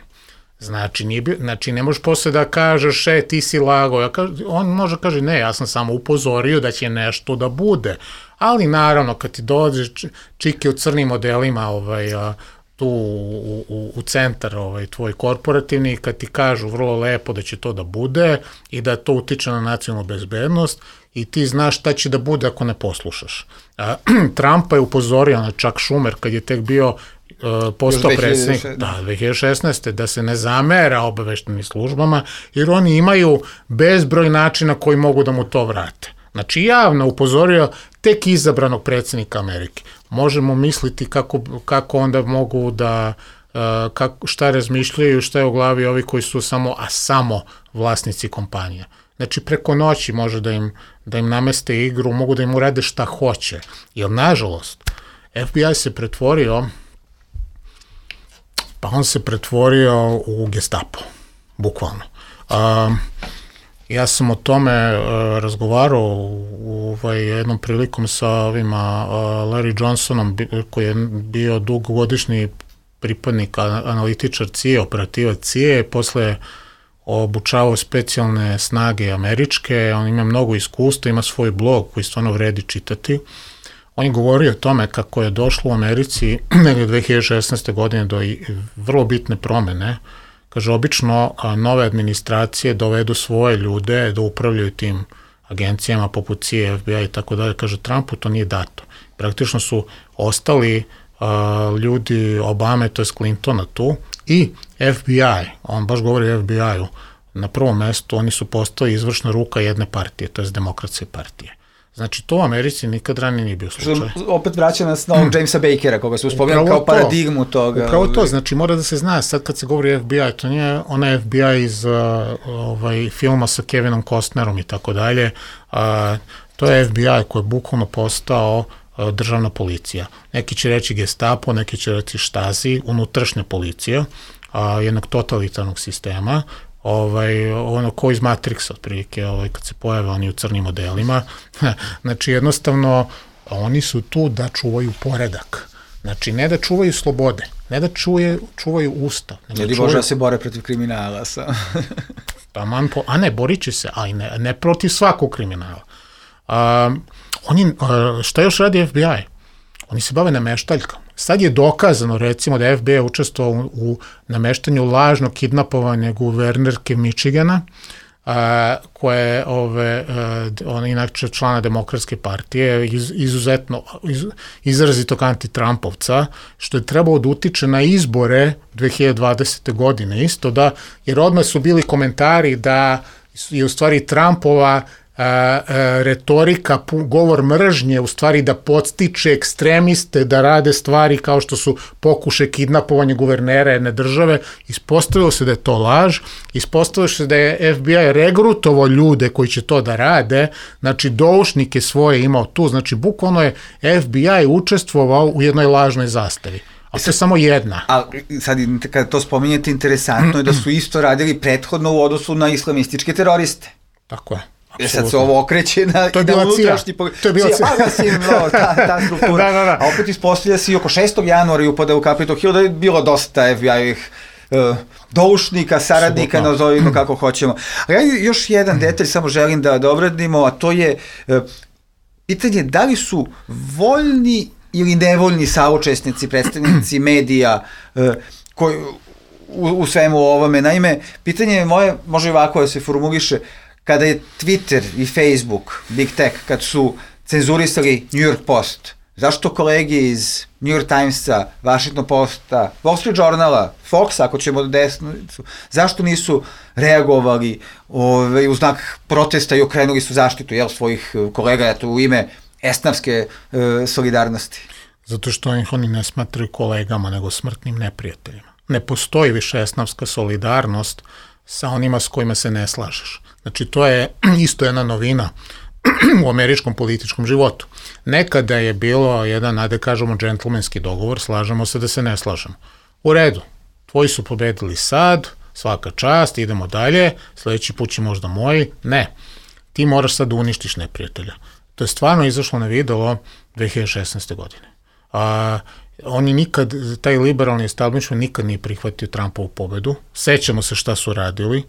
Znači, nije bio, znači, ne možeš posle da kažeš, e, ti si lago. Ja kaž, on može kaže, ne, ja sam samo upozorio da će nešto da bude. Ali, naravno, kad ti dođe čike u crnim modelima ovaj, a, tu u, u, u centar ovaj, tvoj korporativni, kad ti kažu vrlo lepo da će to da bude i da to utiče na nacionalnu bezbednost i ti znaš šta će da bude ako ne poslušaš. A, Trumpa je upozorio na Chuck Schumer kad je tek bio Uh, postao predsjednik, da, dve hiljade šesnaeste. da se ne zamera obaveštenim službama, jer oni imaju bezbroj načina koji mogu da mu to vrate. Znači, javno upozorio tek izabranog predsjednika Amerike. Možemo misliti kako, kako onda mogu da, uh, kako, šta razmišljaju, šta je u glavi ovi koji su samo, a samo vlasnici kompanija. Znači, preko noći može da im, da im nameste igru, mogu da im urade šta hoće. Jer, nažalost, F B I se pretvorio pa on se pretvorio u Gestapo, bukvalno. Um, ja sam o tome uh, razgovarao u ovaj, jednom prilikom sa ovima uh, Larry Johnsonom, koji je bio dugogodišnji pripadnik, analitičar C I A, operativac C I A, posle obučavao specijalne snage američke, on ima mnogo iskustva, ima svoj blog koji stvarno vredi čitati. On je govorio o tome kako je došlo u Americi negdje dve hiljade šesnaeste. godine do vrlo bitne promene. Kaže, obično nove administracije dovedu svoje ljude da upravljaju tim agencijama poput C I A, F B I i tako dalje. Kaže, Trumpu to nije dato. Praktično su ostali uh, ljudi Obame, to je Clintona tu, i F B I, on baš govori o F B I-u, na prvom mestu oni su postali izvršna ruka jedne partije, to je Demokratske partije. Znači, to u Americi nikad ranije nije bio slučaj. Što opet vraća nas na ovog Jamesa Bakera, koga smo spomenuli kao paradigmu toga. Upravo to, znači mora da se zna, sad kad se govori F B I, to nije ona F B I iz uh, ovaj, filma sa Kevinom Costnerom i tako dalje, uh, to je F B I koji je bukvalno postao uh, državna policija. Neki će reći Gestapo, neki će reći Stasi, unutrašnja policija uh, jednog totalitarnog sistema, ovaj, ono ko iz Matrixa, otprilike, ovaj, kad se pojave oni u crnim modelima. Znači, jednostavno, oni su tu da čuvaju poredak. Znači, ne da čuvaju slobode, ne da čuje, čuvaju ustav. Ljudi čuvaju... može da se bore protiv kriminala. Sa... pa man po... A ne, borit će se, ali ne, ne protiv svakog kriminala. Um, oni, uh, šta još radi F B I? Oni se bave nameštaljkom. Sad je dokazano, recimo, da je F B I učestvovao u, u nameštanju lažnog kidnapovanja guvernerke Michigana, a, koje ove, a, ona inače člana Demokratske partije, iz, izuzetno, iz, izrazitog antitrampovca, što je trebalo da utiče na izbore dve hiljade dvadesete. godine isto, da, jer odmah su bili komentari da je u stvari Trumpova a, a, retorika, govor mržnje, u stvari da podstiče ekstremiste da rade stvari kao što su pokušaj kidnapovanja guvernera jedne države. Ispostavilo se da je to laž, ispostavilo se da je F B I regrutovao ljude koji će to da rade, znači doušnike svoje imao tu, znači bukvalno je F B I učestvovao u jednoj lažnoj zastavi. A to je samo jedna. A sad kada to spominjete, interesantno je da su isto radili prethodno u odnosu na islamističke teroriste. Tako je. Jer sad se ovo okreće na, to je bila na unutrašnji... cija. To je bila cija. Pa si no, ta, ta struktura. da, da, da. A opet ispostavlja se i oko šestog januara i upada u Capitol Hill da je bilo dosta F B I-ovih uh, doušnika, saradnika, nazovimo kako hoćemo. A ja još jedan detalj samo želim da, da obradimo, a to je uh, pitanje da li su voljni ili nevoljni saučesnici, predstavnici medija uh, koji, u, u svemu ovome. Naime, pitanje moje može ovako da se formuliše. Kada je Twitter i Facebook, Big Tech, kad su cenzurisali New York Post, zašto kolege iz New York Timesa, Washington Posta, Wall Street Journala, Foxa, ako ćemo do desnicu, zašto nisu reagovali ove, u znak protesta i okrenuli su zaštitu jel, svojih kolega eto, u ime esnavske e, solidarnosti? Zato što ih oni ne smatraju kolegama, nego smrtnim neprijateljima. Ne postoji više esnavska solidarnost sa onima s kojima se ne slažeš. Znači, to je isto jedna novina u američkom političkom životu. Nekada je bilo jedan, ajde kažemo, džentlmenski dogovor, slažemo se da se ne slažemo. U redu, tvoji su pobedili sad, svaka čast, idemo dalje, sledeći put će možda moji. Ne, ti moraš sad da uništiš neprijatelja. To je stvarno izašlo na videlo dve hiljade šesnaeste. godine. A, oni nikad, taj liberalni establishment nikad nije prihvatio Trumpovu pobedu. Sećamo se šta su radili.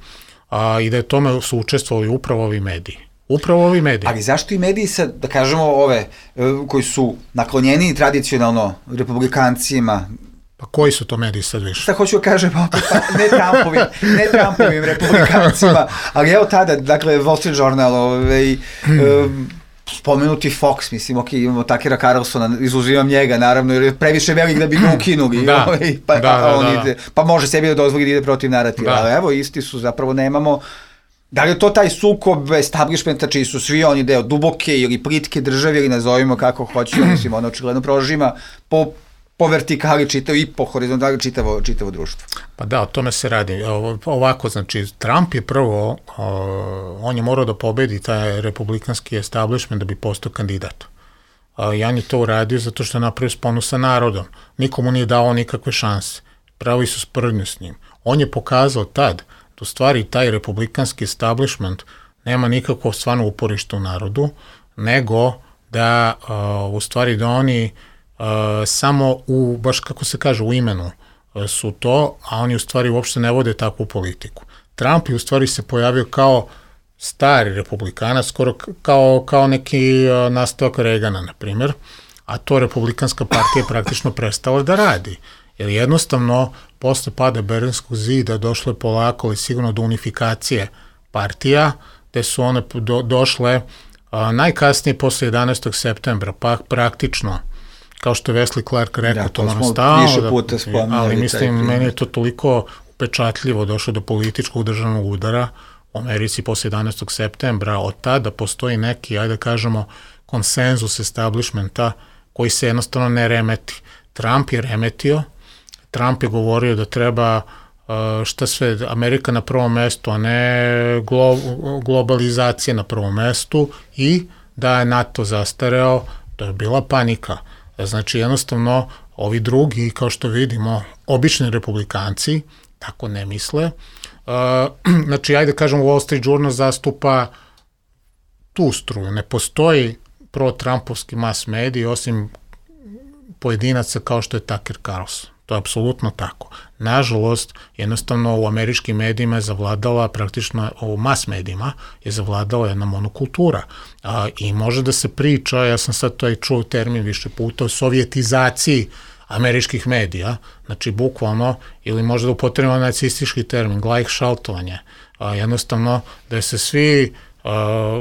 A, i da je tome su učestvovali upravo ovi mediji. Upravo ovi mediji. Ali zašto i mediji sad, da kažemo ove, koji su naklonjeni tradicionalno republikancima? Pa koji su to mediji sad više? Sad hoću da kažem, pa, ne Trumpovim, ne Trumpovim republikancima, ali evo tada, dakle, Wall Street Journal, ovaj, um, spomenuti Fox, mislim, ok, imamo Takera Carlsona, izuzimam njega, naravno, jer je previše velik da bi ga ukinuli, da, ovaj, pa, da, da, on da, ide, pa može sebi da dozvoli da ide protiv narativa, da. Ali evo, isti su, zapravo nemamo, da li je to taj sukob establishmenta čiji su svi oni deo duboke ili plitke države ili nazovimo kako hoćemo, mislim, ono očigledno prožima po po vertikali čitavo i po horizontali čitavo, čitavo društvo. Pa da, o tome se radi. Ovako, znači, Trump je prvo, on je morao da pobedi taj republikanski establishment da bi postao kandidat. Jan je to uradio zato što je napravio sponu sa narodom. Nikomu nije dao nikakve šanse. Pravi su sprdnju s njim. On je pokazao tad da u stvari taj republikanski establishment nema nikakvo stvarno uporište u narodu, nego da u stvari da oni Uh, samo u, baš kako se kaže, u imenu uh, su to, a oni u stvari uopšte ne vode takvu politiku. Trump je u stvari se pojavio kao stari republikanac, skoro kao, kao neki uh, nastavak Reagana, na primjer, a to republikanska partija je praktično prestala da radi. Jer jednostavno, posle pada Berlinskog zida došlo je polako, ali sigurno do unifikacije partija, gde su one do, došle uh, najkasnije posle jedanaestog septembra, pa praktično kao što je Wesley Clark rekao, da, to moram stalno, da, ali mislim, meni je to toliko upečatljivo došlo do političkog državnog udara u Americi posle jedanaestog septembra, od tada postoji neki, ajde da kažemo, konsenzus establishmenta koji se jednostavno ne remeti. Trump je remetio, Trump je govorio da treba šta sve, Amerika na prvom mestu, a ne glo, globalizacija na prvom mestu i da je NATO zastareo, to je bila panika. Znači, jednostavno, ovi drugi, kao što vidimo, obični republikanci, tako ne misle. Uh, znači, ajde kažem, Wall Street Journal zastupa tu struju. Ne postoji pro-trumpovski mass mediji, osim pojedinaca kao što je Tucker Carlson. To je apsolutno tako. Nažalost, jednostavno u američkim medijima je zavladala, praktično u mass medijima je zavladala jedna monokultura. A, I može da se priča, ja sam sad to i čuo termin više puta, o sovjetizaciji američkih medija, znači bukvalno, ili možda upotrebno nacistički termin, gleichschaltovanje, a, jednostavno da se svi a,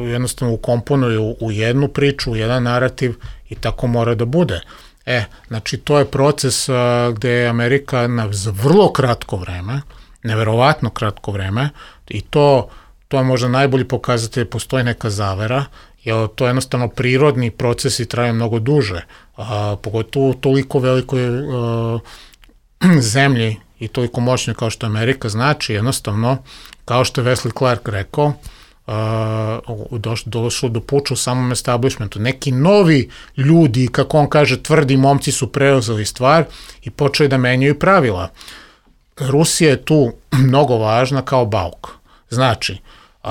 jednostavno ukomponuju u jednu priču, u jedan narativ i tako mora da bude. E, znači to je proces a, gde je Amerika na vrlo kratko vreme, neverovatno kratko vreme, i to, to je možda najbolji pokazatelj, postoji neka zavera, jer to je jednostavno prirodni proces i traje mnogo duže, a, pogotovo u toliko velikoj a, zemlji i toliko moćnoj kao što Amerika, znači jednostavno, kao što je Wesley Clark rekao, Uh, došlo do puča u samom establishmentu. Neki novi ljudi, kako on kaže, tvrdi momci su preuzeli stvar i počeli da menjaju pravila. Rusija je tu mnogo važna kao bauk. Znači, uh,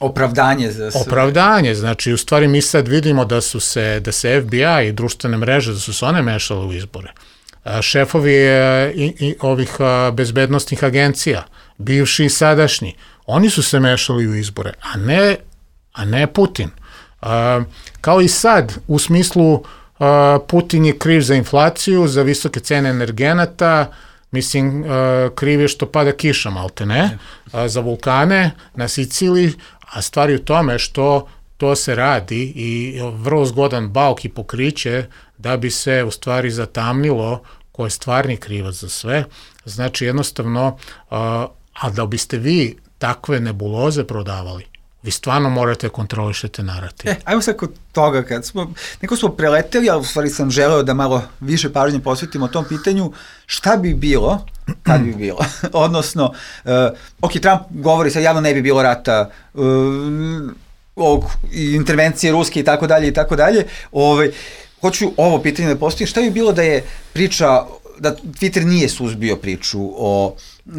opravdanje za sve. Opravdanje, znači u stvari mi sad vidimo da su se, da se F B I i društvene mreže, da su se one mešale u izbore. Uh, šefovi uh, i, i ovih uh, bezbednostnih agencija, bivši i sadašnji, oni su se mešali u izbore, a ne, a ne Putin. Uh, kao i sad, u smislu uh, Putin je kriv za inflaciju, za visoke cene energenata, mislim, uh, kriv je što pada kiša, malte ne, uh, za vulkane na Siciliji, a stvari u tome što to se radi i vrlo zgodan bauk i pokriće da bi se u stvari zatamnilo ko je stvarni krivac za sve. Znači, jednostavno, uh, a da biste vi takve nebuloze prodavali, vi stvarno morate kontrolišete narativ. E, ajmo sad kod toga, kad smo, neko smo preleteli, ali u stvari sam želeo da malo više pažnje posvetimo tom pitanju, šta bi bilo, kad bi bilo, odnosno, uh, ok, Trump govori sad javno ne bi bilo rata, uh, ovog, intervencije ruske i tako dalje i tako dalje, ovaj, hoću ovo pitanje da postavim, šta bi bilo da je priča, da Twitter nije suzbio priču o,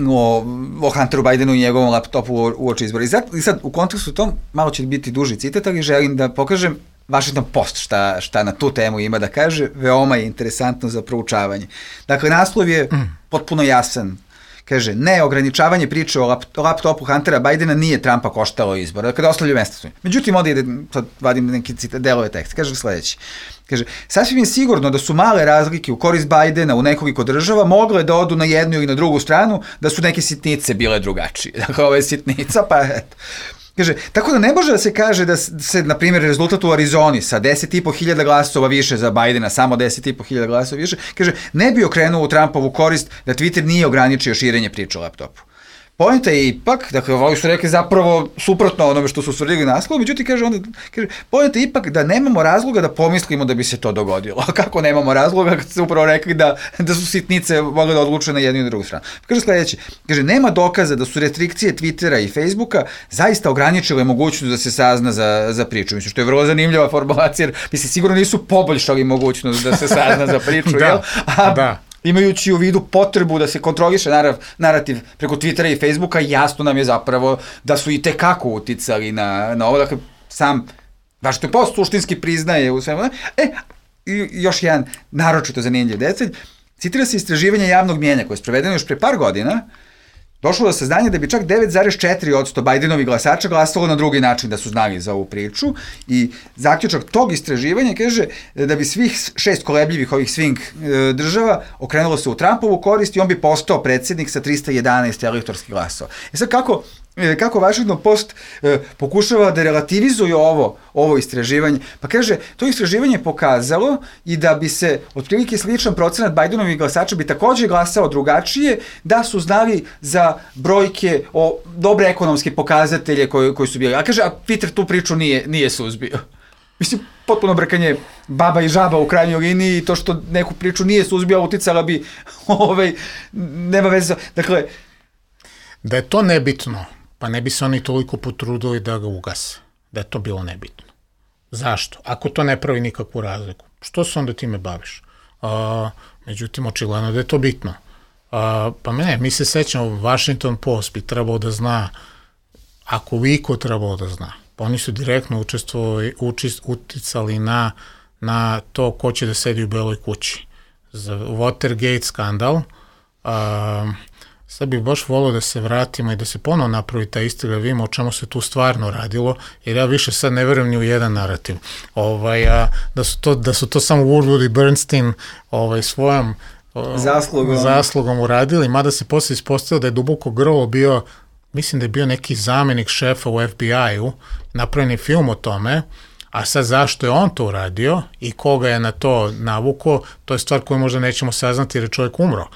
o, o Hunteru Bidenu i njegovom laptopu u oči izbora. I sad, I sad u kontekstu tom, malo će biti duži citat, ali želim da pokažem Washington Post šta, šta na tu temu ima da kaže, veoma je interesantno za proučavanje. Dakle, naslov je potpuno jasan. Kaže, ne, ograničavanje priče o, lap, o laptopu Huntera Bidena nije Trumpa koštalo izbora, kada ostavljaju mesta su. Međutim, onda ide, sad vadim neki cita, delove teksta, kaže sledeći. Kaže, sasvim je sigurno da su male razlike u korist Bidena u nekoliko država mogle da odu na jednu ili na drugu stranu, da su neke sitnice bile drugačije. Dakle, ovo je sitnica, pa eto. Kaže, tako da ne može da se kaže da se, na primjer, rezultat u Arizoni sa deset i po hiljada glasova više za Bidena, samo deset i po hiljada glasova više, kaže, ne bi okrenuo u Trumpovu korist da Twitter nije ograničio širenje priče o laptopu. Poenta je ipak, dakle, ovi su rekli zapravo suprotno onome što su ustvrdili naslov, međutim, kaže, onda, kaže, poenta je ipak da nemamo razloga da pomislimo da bi se to dogodilo. A kako nemamo razloga, kad ste upravo rekli da, da su sitnice mogle da odluče na jednu i na drugu stranu. Kaže sledeće, kaže, nema dokaza da su restrikcije Twittera i Facebooka zaista ograničile mogućnost da se sazna za, za priču. Mislim, što je vrlo zanimljiva formulacija, jer mislim, sigurno nisu poboljšali mogućnost da se sazna za priču, da, jel? A, da. Imajući u vidu potrebu da se kontroliše narav, narativ preko Twittera i Facebooka, jasno nam je zapravo da su i tekako uticali na, na ovo, dakle, sam Washington Post suštinski priznaje u svemu. E, i još jedan naročito zanimljiv detalj, citira se istraživanje javnog mjenja koje je sprovedeno još pre par godina, došlo do saznanja da bi čak devet zarez četiri posto Bidenovih glasača glasalo na drugi način da su znali za ovu priču i zaključak tog istraživanja kaže da bi svih šest kolebljivih ovih swing država okrenulo se u Trumpovu korist i on bi postao predsjednik sa trista jedanaest elektorskih glasova. E sad kako kako Washington Post e, pokušava da relativizuje ovo, ovo istraživanje, pa kaže, to istraživanje je pokazalo i da bi se otprilike sličan procenat Bidenovih glasača bi takođe glasao drugačije da su znali za brojke o dobre ekonomske pokazatelje koji, koji su bili. A kaže, a Twitter tu priču nije, nije suzbio. Mislim, potpuno brkanje baba i žaba u krajnjoj liniji i to što neku priču nije suzbio, uticala bi, ovaj, nema veze. Dakle, da je to nebitno, pa ne bi se oni toliko potrudili da ga ugase, da je to bilo nebitno. Zašto? Ako to ne pravi nikakvu razliku, što se onda time baviš? A, međutim, očigledno da je to bitno. A, pa ne, mi se sećamo, Washington Post bi trebao da zna, ako Viko trebao da zna, pa oni su direktno učestvovali, učist, uticali na, na to ko će da sedi u Beloj kući. Za Watergate skandal, a, sad bih baš volio da se vratimo i da se ponovo napravi ta istraga, vidimo o čemu se tu stvarno radilo, jer ja više sad ne verujem ni u jedan narativ. Ovaj, a, da, su to, da su to samo Woodward i Bernstein ovaj, svojom zaslugom. zaslugom uradili, mada se posle ispostavilo da je duboko grlo bio, mislim da je bio neki zamenik šefa u F B I-u, napravljen je film o tome, a sad zašto je on to uradio i koga je na to navuko, to je stvar koju možda nećemo saznati jer je čovjek umro.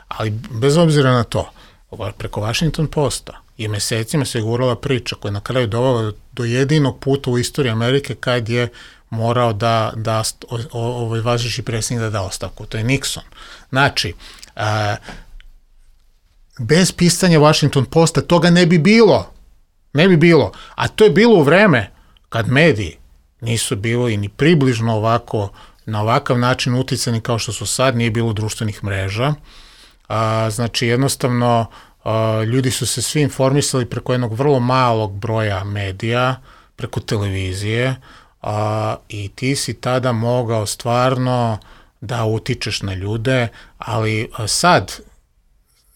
Ali bez obzira na to, preko Washington Posta i mesecima se gurala priča koja je na kraju dovela do jedinog puta u istoriji Amerike kad je morao da, da ovaj važeći predsjednik da da ostavku, to je Nixon. Znači, a, bez pisanja Washington Posta toga ne bi bilo. Ne bi bilo. A to je bilo u vreme kad mediji nisu bili ni približno ovako, na ovakav način uticani kao što su sad, nije bilo društvenih mreža. A, znači, jednostavno, a, ljudi su se svi informisali preko jednog vrlo malog broja medija, preko televizije, a, i ti si tada mogao stvarno da utičeš na ljude, ali a, sad,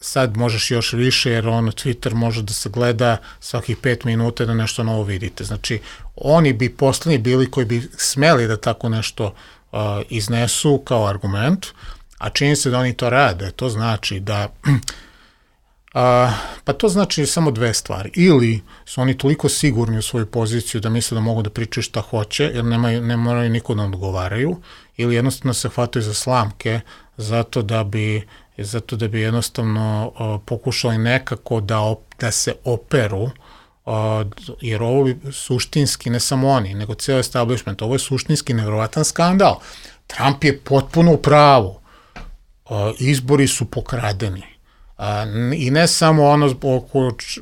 sad možeš još više, jer ono Twitter može da se gleda svakih pet minuta da nešto novo vidite. Znači, oni bi poslednji bili koji bi smeli da tako nešto uh, iznesu kao argument, a čini se da oni to rade. To znači da, uh, pa to znači samo dve stvari. Ili su oni toliko sigurni u svoju poziciju da misle da mogu da pričaju šta hoće, jer nemaju, ne moraju niko da odgovaraju, ili jednostavno se hvataju za slamke zato da bi zato da bi jednostavno uh, pokušali nekako da, op, da se operu, uh, jer ovo je suštinski, ne samo oni, nego cijel establishment, ovo je suštinski nevjerovatan skandal. Trump je potpuno u pravu. Uh, izbori su pokradeni. Uh, I ne samo ono o,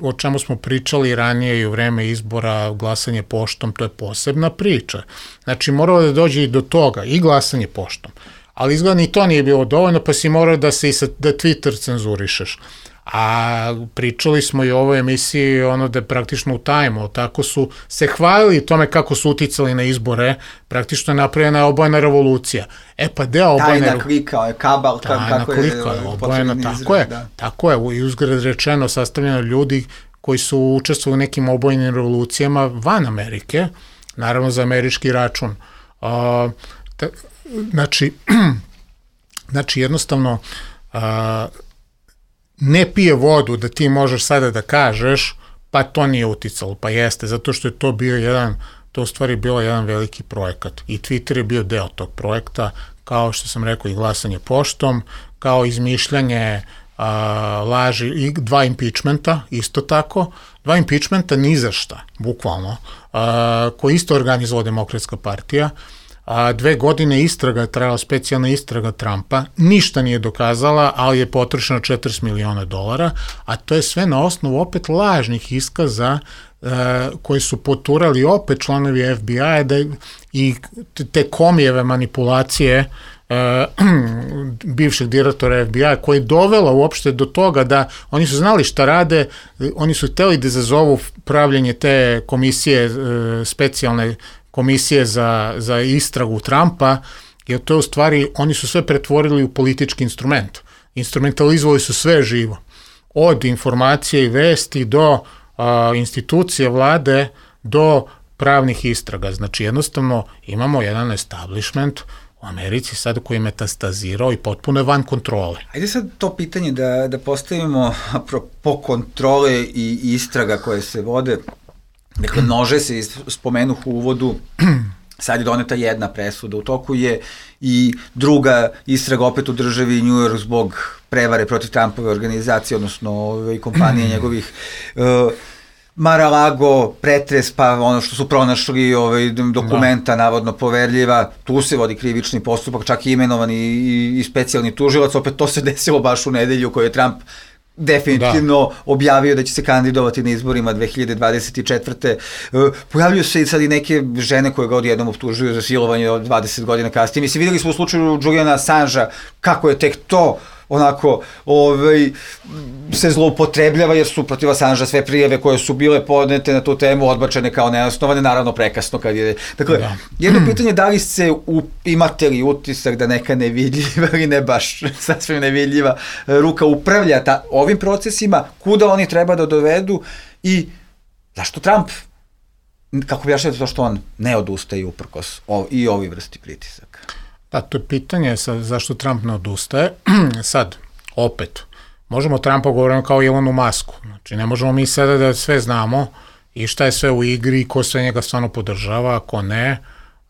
o čemu smo pričali ranije i u vreme izbora, glasanje poštom, to je posebna priča. Znači, moralo da dođe i do toga, i glasanje poštom. Ali izgleda ni to nije bilo dovoljno, pa si morao da se i sa, da Twitter cenzurišeš. A pričali smo i o ovoj emisiji ono da je praktično u tajmu, tako su se hvalili tome kako su uticali na izbore, praktično je napravljena obojena revolucija. E pa deo obojene... Tajna klika, je kabal, tajna kako je... klika, je obojena, tako je, da. Tako je, i uzgred rečeno sastavljeno ljudi koji su učestvovali u nekim obojenim revolucijama van Amerike, naravno za američki račun. Uh, ta, Znači, znači jednostavno uh, ne pije vodu da ti možeš sada da kažeš pa to nije uticalo, pa jeste, zato što je to bio jedan, to u stvari bilo jedan veliki projekat i Twitter je bio deo tog projekta, kao što sam rekao i glasanje poštom, kao izmišljanje uh, laži i dva impeachmenta, isto tako, dva impeachmenta ni za šta, bukvalno, uh, koji isto organizovala Demokratska partija. A, dve godine istraga je trajala, specijalna istraga Trumpa, ništa nije dokazala, ali je potrošeno četrdeset miliona dolara, a to je sve na osnovu opet lažnih iskaza e, koji su poturali opet članovi F B I-a da, i te komijeve manipulacije e, bivšeg direktora F B I-a koji je dovela uopšte do toga da oni su znali šta rade, oni su hteli da izazovu pravljenje te komisije, e, specijalne komisije za, za istragu Trumpa, jer to je u stvari, oni su sve pretvorili u politički instrument. Instrumentalizovali su sve živo. Od informacije i vesti do a, institucije vlade do pravnih istraga. Znači jednostavno imamo jedan establishment u Americi sad koji je metastazirao i potpuno je van kontrole. Ajde sad to pitanje da, da postavimo apropo kontrole i istraga koje se vode. Dakle, množe se spomenuh u uvodu, sad je doneta jedna presuda, u toku je i druga istraga opet u državi New York zbog prevare protiv Trumpove organizacije, odnosno ove kompanije njegovih, uh, Mar-a-Lago, pretres, pa ono što su pronašli ovaj, dokumenta, navodno poverljiva, tu se vodi krivični postupak, čak i imenovan i, i, i specijalni tužilac, opet to se desilo baš u nedelju koju je Trump definitivno da. objavio da će se kandidovati na izborima dve hiljade dvadeset četvrte. Pojavljuju se i sad i neke žene koje ga odjednom optužuju za silovanje od dvadeset godina kasnije. Mislim, videli smo u slučaju Juliana Assangea kako je tek to onako ovaj, se zloupotrebljava jer su protiv Assangea sve prijave koje su bile podnete na tu temu odbačene kao neosnovane, naravno prekasno kad je... Dakle, da. Jedno pitanje da li se u, imate li utisak da neka nevidljiva ili ne baš sasvim nevidljiva ruka upravlja ta, ovim procesima, kuda oni treba da dovedu i zašto Trump, kako bi jašljati to što on ne odustaje uprkos ov, i ovi vrsti pritisaka? Da, to je pitanje sa, zašto Trump ne odustaje. Sad, opet, možemo Trumpa govoriti kao Elonu Musku. Znači, ne možemo mi sada da sve znamo i šta je sve u igri, ko sve njega stvarno podržava, ko ne.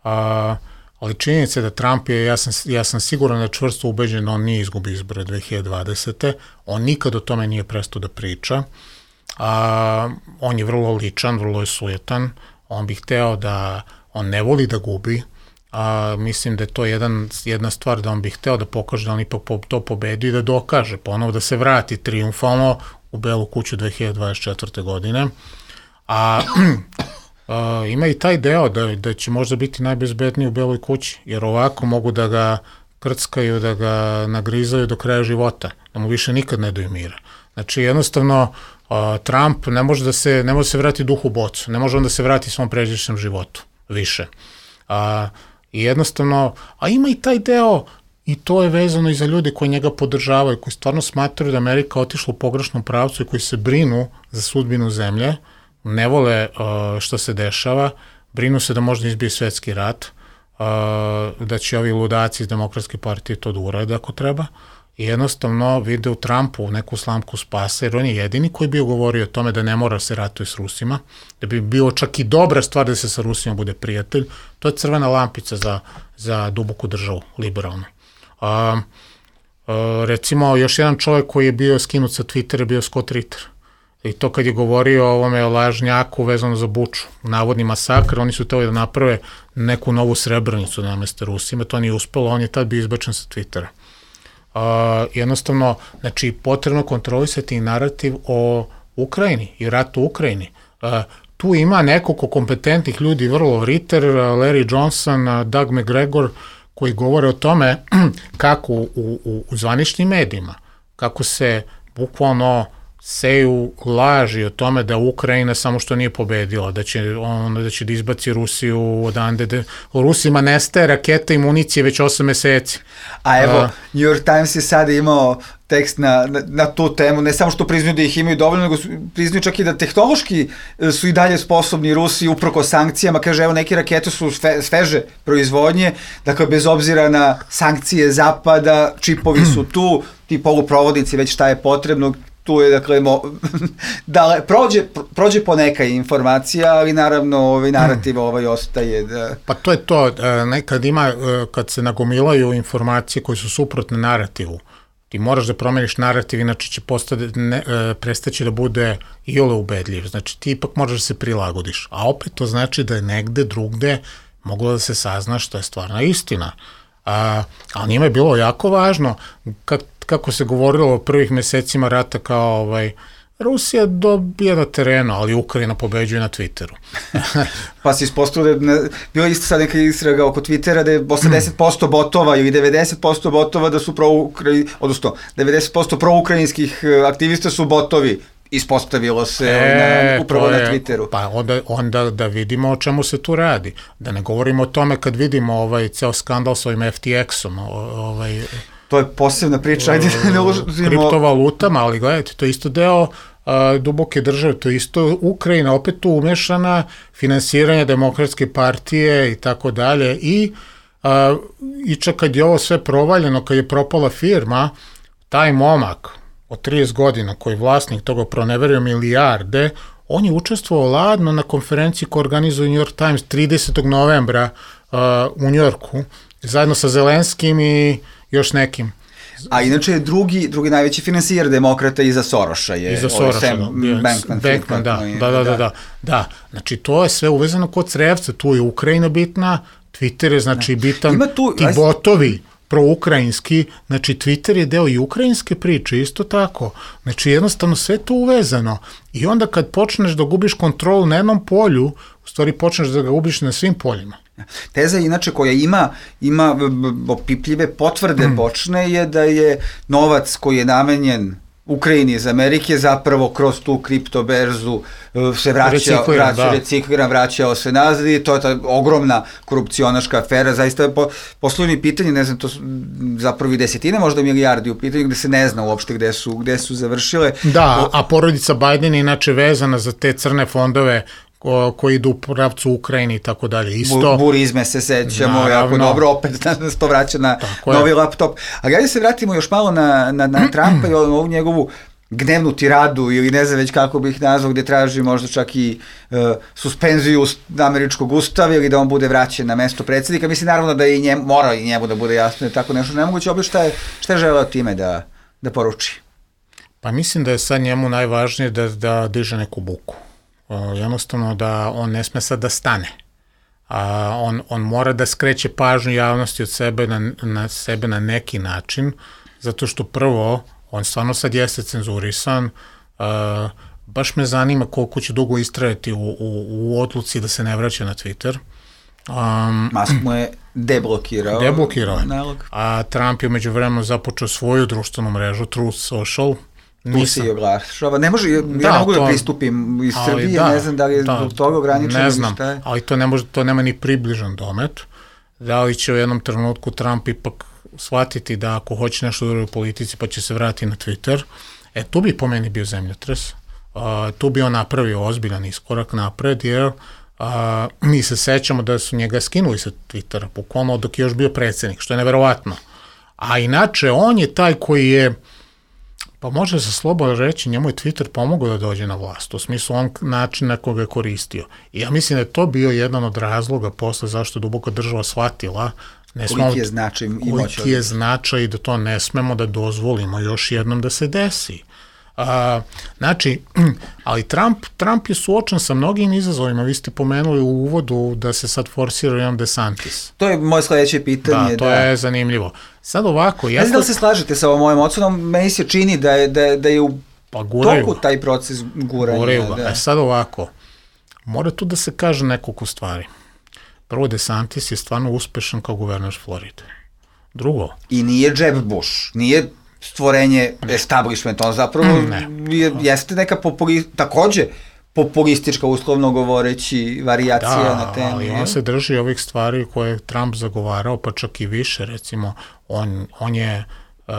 A, ali činjenica je da Trump je, ja sam, ja sam siguran da čvrsto ubeđen, on nije izgubi izbore dve hiljade dvadesete. On nikad o tome nije prestao da priča. A, on je vrlo ličan, vrlo je sujetan. On bi hteo da, on ne voli da gubi. A, mislim da je to jedan, jedna stvar da on bi hteo da pokaže da on ipak po, to pobedi i da dokaže, ponovo da se vrati triumfalno u Belu kuću dve hiljade dvadeset četvrte. godine. A, a ima i taj deo da, da će možda biti najbezbedniji u Beloj kući, jer ovako mogu da ga krckaju, da ga nagrizaju do kraja života, da mu više nikad ne daju mira. Znači jednostavno a, Trump ne može da se, ne može se vrati duhu bocu, ne može on da se vrati svom pređašnjem životu više. A, I jednostavno, a ima i taj deo, i to je vezano i za ljude koji njega podržavaju, koji stvarno smatraju da Amerika otišla u pogrešnom pravcu i koji se brinu za sudbinu zemlje, ne vole uh, što se dešava, brinu se da možda izbije svetski rat, uh, da će ovi ludaci iz Demokratske partije to da urade ako treba, i jednostavno vide u Trumpu neku slamku spasa, jer on je jedini koji bi govorio o tome da ne mora se ratuje s Rusima, da bi bilo čak i dobra stvar da se sa Rusima bude prijatelj. To je crvena lampica za, za duboku državu, liberalnu. A, a, recimo, još jedan čovjek koji je bio skinut sa Twittera je bio Scott Ritter. I to kad je govorio o ovome lažnjaku vezano za Buču, navodni masakr, oni su teli da naprave neku novu Srebrenicu da nameste Rusima, to nije uspelo, on je tad bio izbačen sa Twittera. Uh, jednostavno, znači, potrebno kontrolisati narativ o Ukrajini i ratu u Ukrajini. Uh, tu ima nekoliko kompetentnih ljudi, vrlo Ritter, Larry Johnson, Doug McGregor, koji govore o tome kako u, u, u zvaničnim medijima, kako se bukvalno seju laži o tome da Ukrajina samo što nije pobedila, da će, on, da će da izbaci Rusiju odande, da Rusima nestaje raketa i municije već osam meseci. A evo, uh, New York Times je sada imao tekst na, na, na tu temu, ne samo što priznaju da ih imaju dovoljno, nego priznaju čak i da tehnološki su i dalje sposobni Rusi uprko sankcijama, kaže evo neke rakete su sve, sveže proizvodnje, dakle bez obzira na sankcije zapada, čipovi su tu, ti poluprovodnici već šta je potrebno, tu je, dakle, mo, da prođe, prođe poneka informacija, ali naravno ovaj narativ ovaj ostaje. Da... Pa to je to, nekad ima, kad se nagomilaju informacije koje su suprotne narativu, ti moraš da promeniš narativ, inače će postati, ne, prestaći da bude iole ubedljiv, znači ti ipak moraš da se prilagodiš, a opet to znači da je negde drugde moglo da se sazna što je stvarna istina. A, ali njima je bilo jako važno, kad kako se govorilo o prvih mesecima rata kao ovaj, Rusija dobija na terenu, ali Ukrajina pobeđuje na Twitteru. Pa se ispostavilo da je bilo isto sad neka istraga oko Twittera da je osamdeset posto botova ili devedeset posto botova da su pro-Ukrajinski, odnosno devedeset posto pro-ukrajinskih aktivista su botovi. Ispostavilo se e, na, upravo je, na Twitteru. Pa onda, onda da vidimo o čemu se tu radi. Da ne govorimo o tome kad vidimo ovaj ceo skandal s ovim F T X-om. Ovaj, to je posebna priča. Ajde, ne ulazimo... Kriptovalutama, ali gledajte, to je isto deo a, duboke države, to je isto Ukrajina, opet tu umešana, finansiranje Demokratske partije i tako dalje. I, a, i čak kad je ovo sve provaljeno, kad je propala firma, taj momak od trideset godina, koji je vlasnik toga proneverio milijarde, on je učestvovao ladno na konferenciji koju organizuje New York Times tridesetog novembra uh, u Njujorku, zajedno sa Zelenskim i još nekim. A inače je drugi, drugi najveći finansijer demokrata iza Soroša. Je, iza Soroša, Sam da. Bankman, Bankman da, da, da, da, da, da. Znači, to je sve uvezano kod crevca, tu je Ukrajina bitna, Twitter je znači bitan, tu, ti botovi proukrajinski, znači Twitter je deo i ukrajinske priče, isto tako. Znači jednostavno sve to uvezano. I onda kad počneš da gubiš kontrolu na jednom polju, u stvari počneš da ga gubiš na svim poljima. Teza inače koja ima, ima opipljive potvrde bočne je da je novac koji je namenjen Ukrajini iz Amerike zapravo kroz tu kriptoberzu se vraća, vraća, recikliran, vraćao se nazad i to je ta ogromna korupcionaška afera, zaista je po, poslovni pitanje, ne znam, to su zapravo i desetine možda milijardi u pitanju gde se ne zna uopšte gde su, gde su završile. Da, a porodica Biden je inače vezana za te crne fondove koji idu u pravcu Ukrajini i tako dalje. Isto. Burizme se sećamo, naravno, jako dobro, opet nas to vraća na tako novi je. laptop. Ali ajde se vratimo još malo na, na, na Trumpa i ovu njegovu gnevnu tiradu ili ne znam već kako bih nazvao, gde traži možda čak i uh, suspenziju američkog ustava ili da on bude vraćen na mesto predsjednika. Mislim naravno da i njemu, mora i njemu da bude jasno, je tako nešto nemoguće. Opet šta je, šta je želeo time da, da poruči? Pa mislim da je sad njemu najvažnije da, da diže neku buku. Jednostavno da on ne sme sad da stane. A on, on mora da skreće pažnju javnosti od sebe na, na sebe na neki način, zato što prvo, on stvarno sad jeste cenzurisan, uh, baš me zanima koliko će dugo istrajati u, u, u odluci da se ne vraća na Twitter. Um, Musk mu je deblokirao. Deblokirao je. A Trump je među vremenu započeo svoju društvenu mrežu, Truth Social. Tu se i oglašava. Ne može, da, ja ne mogu to, da pristupim iz Srbije, da, ne znam da li je da, zbog toga ograničeno. Ne znam, ali to ne može, to nema ni približan domet. Da li će u jednom trenutku Trump ipak shvatiti da ako hoće nešto dobro u politici pa će se vratiti na Twitter, e tu bi po meni bio zemljotres. Uh, tu bi on napravio ozbiljan iskorak napred, jer uh, mi se sećamo da su njega skinuli sa Twittera, bukvalno dok je još bio predsjednik, što je neverovatno. A inače, on je taj koji je, pa može se slobodno reći, njemu je Twitter pomogao da dođe na vlast, u smislu on način na koga je koristio. I ja mislim da je to bio jedan od razloga posle zašto je duboko država shvatila ne koliki smemo, je značaj i moć. Koliki je značaj i da to ne smemo da dozvolimo još jednom da se desi. A, znači, ali Trump, Trump je suočen sa mnogim izazovima. Vi ste pomenuli u uvodu da se sad forsira jedan DeSantis. To je moje sledeće pitanje. Da, to da. je zanimljivo. Sad ovako... Ne znam da li se slažete sa ovom mojom ocenom, meni se čini da je, da, da je u pa guraju, toku taj proces guranja. Guraju ga. Da. E sad ovako, mora tu da se kaže nekoliko stvari. Prvo, DeSantis je stvarno uspešan kao guverner Floride. Drugo... I nije Jeb Bush, nije stvorenje establishmenta, on zapravo je, jeste neka populi, takođe populistička, uslovno govoreći, varijacija da, na temu. Da, ali on se drži ovih stvari koje je Trump zagovarao, pa čak i više, recimo, on, on je, uh,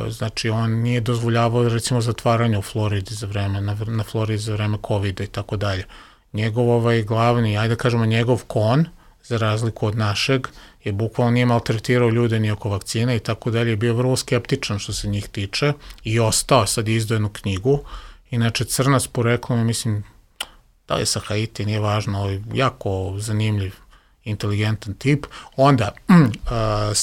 znači, on nije dozvoljavao, recimo, zatvaranje u Floridi za vreme, na, na Floridi za vreme covida i tako dalje. Njegov ovaj glavni, ajde da kažemo, njegov kon, za razliku od našeg, je bukvalno nije maltretirao ljude ni oko vakcina i tako dalje, je bio vrlo skeptičan što se njih tiče i ostao, sad je izdao jednu knjigu. Inače, crnac poreklom je, mislim, da li je sa Haiti, nije važno, ali jako zanimljiv, inteligentan tip. Onda, uh,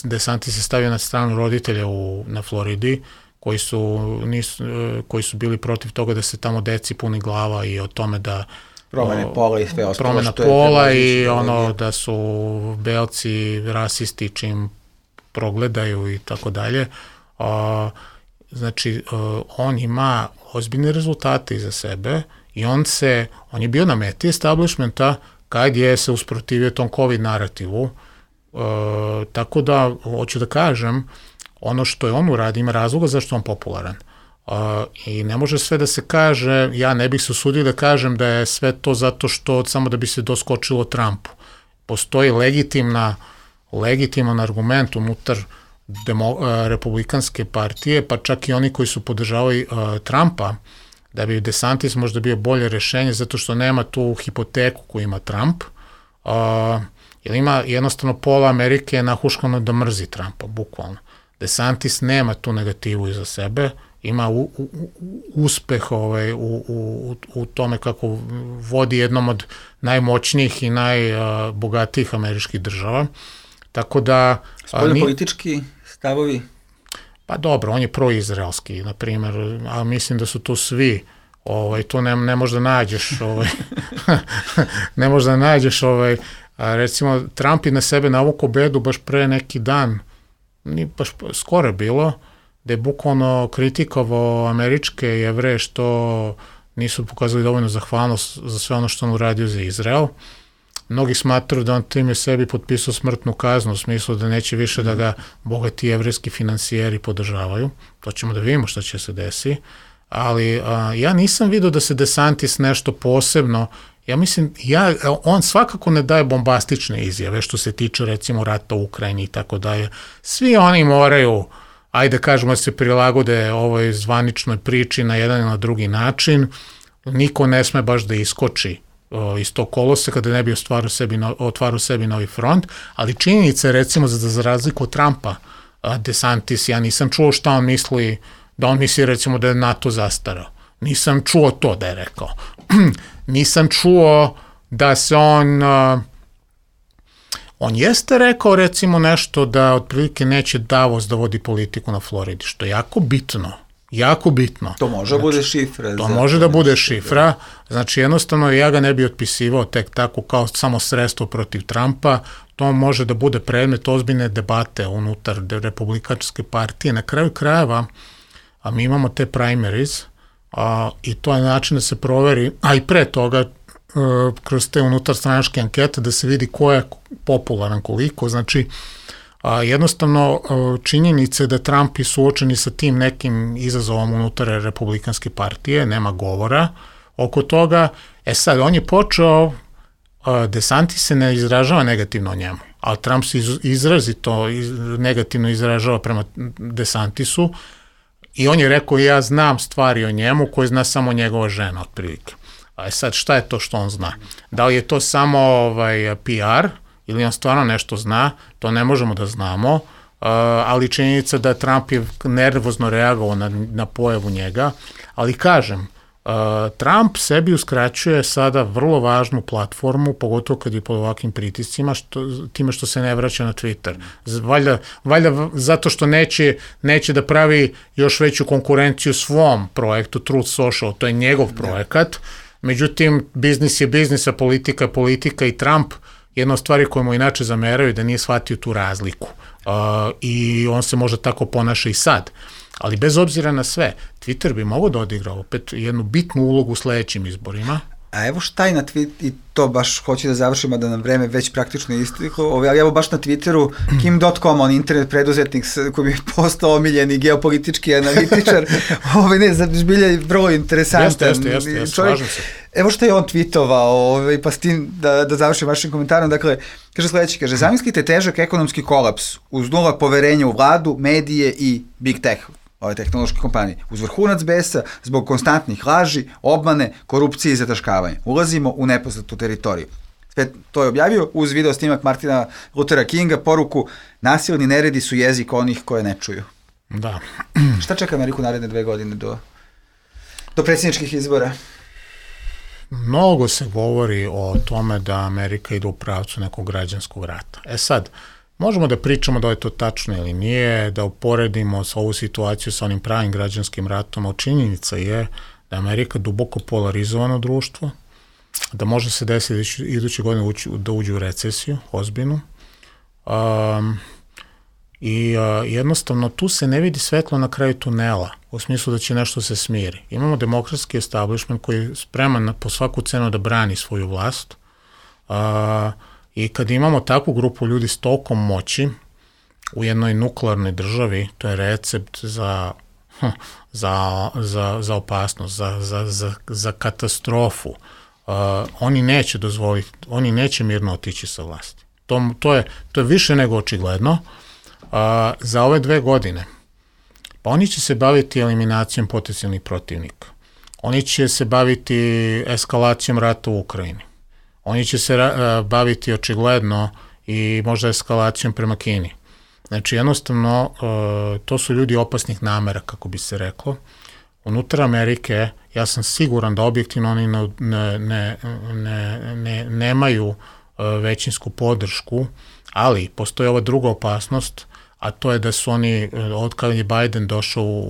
DeSantis se stavio na stranu roditelja u, na Floridi, koji su, nisu, uh, koji su bili protiv toga da se tamo deci puni glava i o tome da promene pola i sve ostalo. Promena pola i ono da su belci rasisti čim progledaju i tako dalje. Znači, on ima ozbiljne rezultate iza sebe i on se, on je bio na meti establishmenta kad je se usprotivio tom COVID narativu. Tako da, hoću da kažem, ono što je on uradi ima razloga zašto je on popularan. Uh, i ne može sve da se kaže, ja ne bih se usudio da kažem da je sve to zato što samo da bi se doskočilo Trumpu. Postoji legitimna, legitiman argument unutar demo, uh, republikanske partije, pa čak i oni koji su podržavali uh, Trumpa, da bi DeSantis možda bio bolje rešenje zato što nema tu hipoteku koju ima Trump, uh, jer ima jednostavno pola Amerike nahuškano da mrzi Trumpa, bukvalno. DeSantis nema tu negativu iza sebe, ima u, u, uspeh ovaj, u, u, u tome kako vodi jednom od najmoćnijih i najbogatijih američkih država. Tako da... Spoljno politički stavovi? Pa dobro, on je proizraelski, na primjer, a mislim da su tu svi, ovaj, tu ne, ne možda nađeš, ovaj, ne možda nađeš, ovaj, a recimo, Trump je na sebe navukao bedu baš pre neki dan, ni baš skoro bilo, da je bukvalno kritikovao američke Jevreje što nisu pokazali dovoljno zahvalnost za sve ono što on uradio za Izrael. Mnogi smatruju da on time sebi potpisao smrtnu kaznu u smislu da neće više da ga bogati jevrejski finansijeri podržavaju. To ćemo da vidimo šta će se desi. Ali a, ja nisam vidio da se DeSantis nešto posebno, ja mislim, ja, on svakako ne daje bombastične izjave što se tiče recimo rata u Ukrajini i tako dalje. Svi oni moraju, ajde kažemo, da se prilagode ovoj zvaničnoj priči na jedan ili na drugi način. Niko ne sme baš da iskoči o, iz tog koloseka da ne bi otvarao sebi, no, otvarao sebi novi front, ali činjenica je recimo za, za razliku od Trumpa, a, DeSantis, ja nisam čuo šta on misli, da on misli recimo da je NATO zastarao. Nisam čuo to da je rekao. Nisam čuo da se on... Uh, on jeste rekao recimo nešto da otprilike neće Davos da vodi politiku na Floridi, što je jako bitno. Jako bitno. To može da bude šifra. To može da bude šifra. Znači jednostavno ja ga ne bi otpisivao tek tako kao samo sredstvo protiv Trumpa. To može da bude predmet ozbiljne debate unutar Republikanske partije. Na kraju krajeva, a mi imamo te primaries, a, i to je način da se proveri, a i pre toga a, kroz te unutarstranačke ankete da se vidi ko je popularan koliko, znači a, jednostavno a, činjenica je da Trump je suočeni sa tim nekim izazovom unutar Republikanske partije, nema govora oko toga. E sad, on je počeo, a, DeSantis se ne izražava negativno o njemu, a Trump se iz, izrazito iz, negativno izražava prema DeSantisu. I on je rekao, ja znam stvari o njemu koje zna samo njegova žena, otprilike. A sad, šta je to što on zna? Da li je to samo ovaj, P R ili on stvarno nešto zna? To ne možemo da znamo, uh, ali činjenica da Trump je nervozno reagovao na, na pojavu njega. Ali kažem, uh, Trump sebi uskraćuje sada vrlo važnu platformu, pogotovo kad je pod ovakvim pritiscima, što, time što se ne vraća na Twitter. Valjda, valjda zato što neće, neće da pravi još veću konkurenciju svom projektu Truth Social, to je njegov projekat. Međutim, biznis je biznis, a politika je politika i Trump, jedna od stvari koje mu inače zameraju da nije shvatio tu razliku. Uh, I on se možda tako ponaša i sad. Ali bez obzira na sve, Twitter bi mogao da odigra opet jednu bitnu ulogu u sledećim izborima. A evo šta je na Twitteru, i to baš hoću da završimo da nam vreme već praktično isteklo, ali evo baš na Twitteru Kim dot com, on internet preduzetnik koji bi postao omiljeni geopolitički analitičar, ovaj ne, zbilja je vrlo interesantan. Jeste, jeste, jeste, slažem se. Evo što je on tweetovao, ovaj, pa s tim da, da završim vašim komentarom, dakle, kaže sledeći, kaže, zamislite težak ekonomski kolaps uz nula poverenja u vladu, medije i big tech, ove tehnološke kompanije, uz vrhunac besa, zbog konstantnih laži, obmane, korupcije i zataškavanja. Ulazimo u nepoznatu teritoriju. Sve to je objavio uz video snimak Martina Luthera Kinga, poruku, nasilni neredi su jezik onih koje ne čuju. Da. Šta čeka Ameriku naredne dve godine do, do predsjedničkih izbora? Mnogo se govori o tome da Amerika ide u pravcu nekog građanskog rata. E sad, možemo da pričamo da je to tačno ili nije, da uporedimo sa ovu situaciju sa onim pravim građanskim ratom, a činjenica je da je Amerika duboko polarizovano društvo, da može se desiti iduće godine ući, da uđe u recesiju, ozbiljnu. Um, I uh, jednostavno tu se ne vidi svetlo na kraju tunela, u smislu da će nešto se smiri. Imamo demokratski establishment koji je spreman na, po svaku cenu da brani svoju vlast. Uh, I kad imamo takvu grupu ljudi s tolkom moći u jednoj nuklearnoj državi, to je recept za, za, za, za opasnost, za, za, za, za katastrofu. Uh, oni neće dozvoliti, oni neće mirno otići sa vlasti. To, to, je, to je više nego očigledno. Uh, za ove dve godine, pa oni će se baviti eliminacijom potencijalnih protivnika. Oni će se baviti eskalacijom rata u Ukrajini. Oni će se uh, baviti očigledno i možda eskalacijom prema Kini. Znači, jednostavno, uh, to su ljudi opasnih namera, kako bi se reklo. Unutar Amerike, ja sam siguran da objektivno oni ne, ne, ne, ne, ne, nemaju uh, većinsku podršku, ali postoji ova druga opasnost, a to je da su oni, od kada je Biden došao,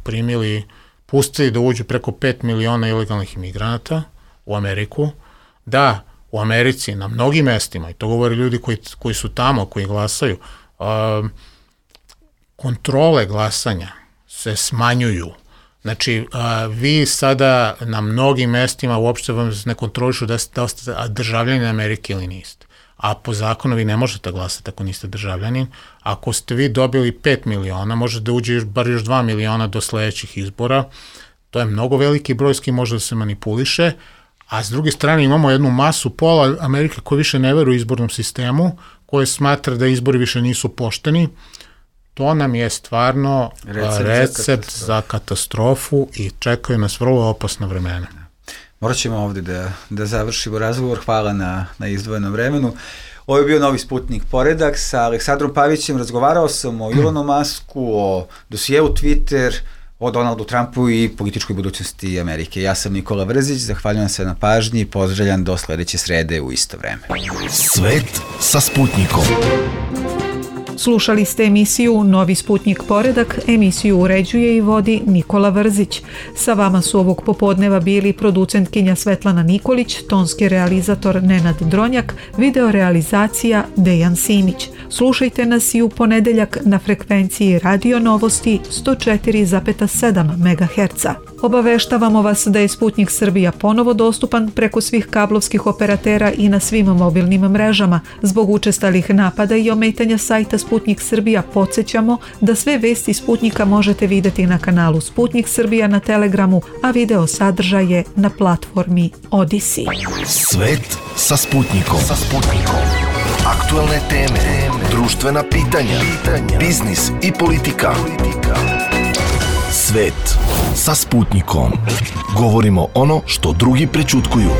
primili, pustili da uđu preko pet miliona ilegalnih imigranata u Ameriku, da u Americi na mnogim mestima, i to govore ljudi koji, koji su tamo, koji glasaju, um, kontrole glasanja se smanjuju, Znači, vi sada na mnogim mestima uopšte vam ne kontrolišu da ste državljani Amerike ili niste. A po zakonu vi ne možete glasati ako niste državljanin. Ako ste vi dobili pet miliona, možete da uđe bar još dva miliona do sledećih izbora. To je mnogo veliki broj s kim može da se manipuliše. A s druge strane imamo jednu masu pola Amerike koji više ne veruju izbornom sistemu, koje smatra da izbori više nisu pošteni. To nam je stvarno recept, recept za, za katastrofu i čekaju nas vrlo opasna vremena. Morat ćemo ovde da, da završimo razgovor. Hvala na, na izdvojenom vremenu. Ovo je bio Novi Sputnik Poredak. Sa Aleksandrom Pavićem razgovarao sam o Elonu Musku, o dosijevu Twitter, o Donaldu Trumpu i političkoj budućnosti Amerike. Ja sam Nikola Vrzić, zahvaljujem se na pažnji i pozdravljam do sledeće srede u isto vreme. Svet sa Sputnikom. Slušali ste emisiju Novi Sputnik Poredak, emisiju uređuje i vodi Nikola Vrzić. Sa vama su ovog popodneva bili producentkinja Svetlana Nikolić, tonski realizator Nenad Dronjak, video realizacija Dejan Simić. Slušajte nas i u ponedeljak na frekvenciji Radio Novosti sto četiri zarez sedam megaherca. Obaveštavamo vas da je Sputnik Srbija ponovo dostupan preko svih kablovskih operatera i na svim mobilnim mrežama. Zbog učestalih napada i ometanja sajta Sputnik Srbija podsjećamo da sve vesti Sputnika možete videti na kanalu Sputnik Srbija na Telegramu, a video sadržaje na platformi Odisi. Svet sa Sputnikom. Sa Sputnikom. Aktuelne teme, društvena pitanja, biznis i politika. Svet sa Sputnikom. Govorimo ono što drugi prećutkuju.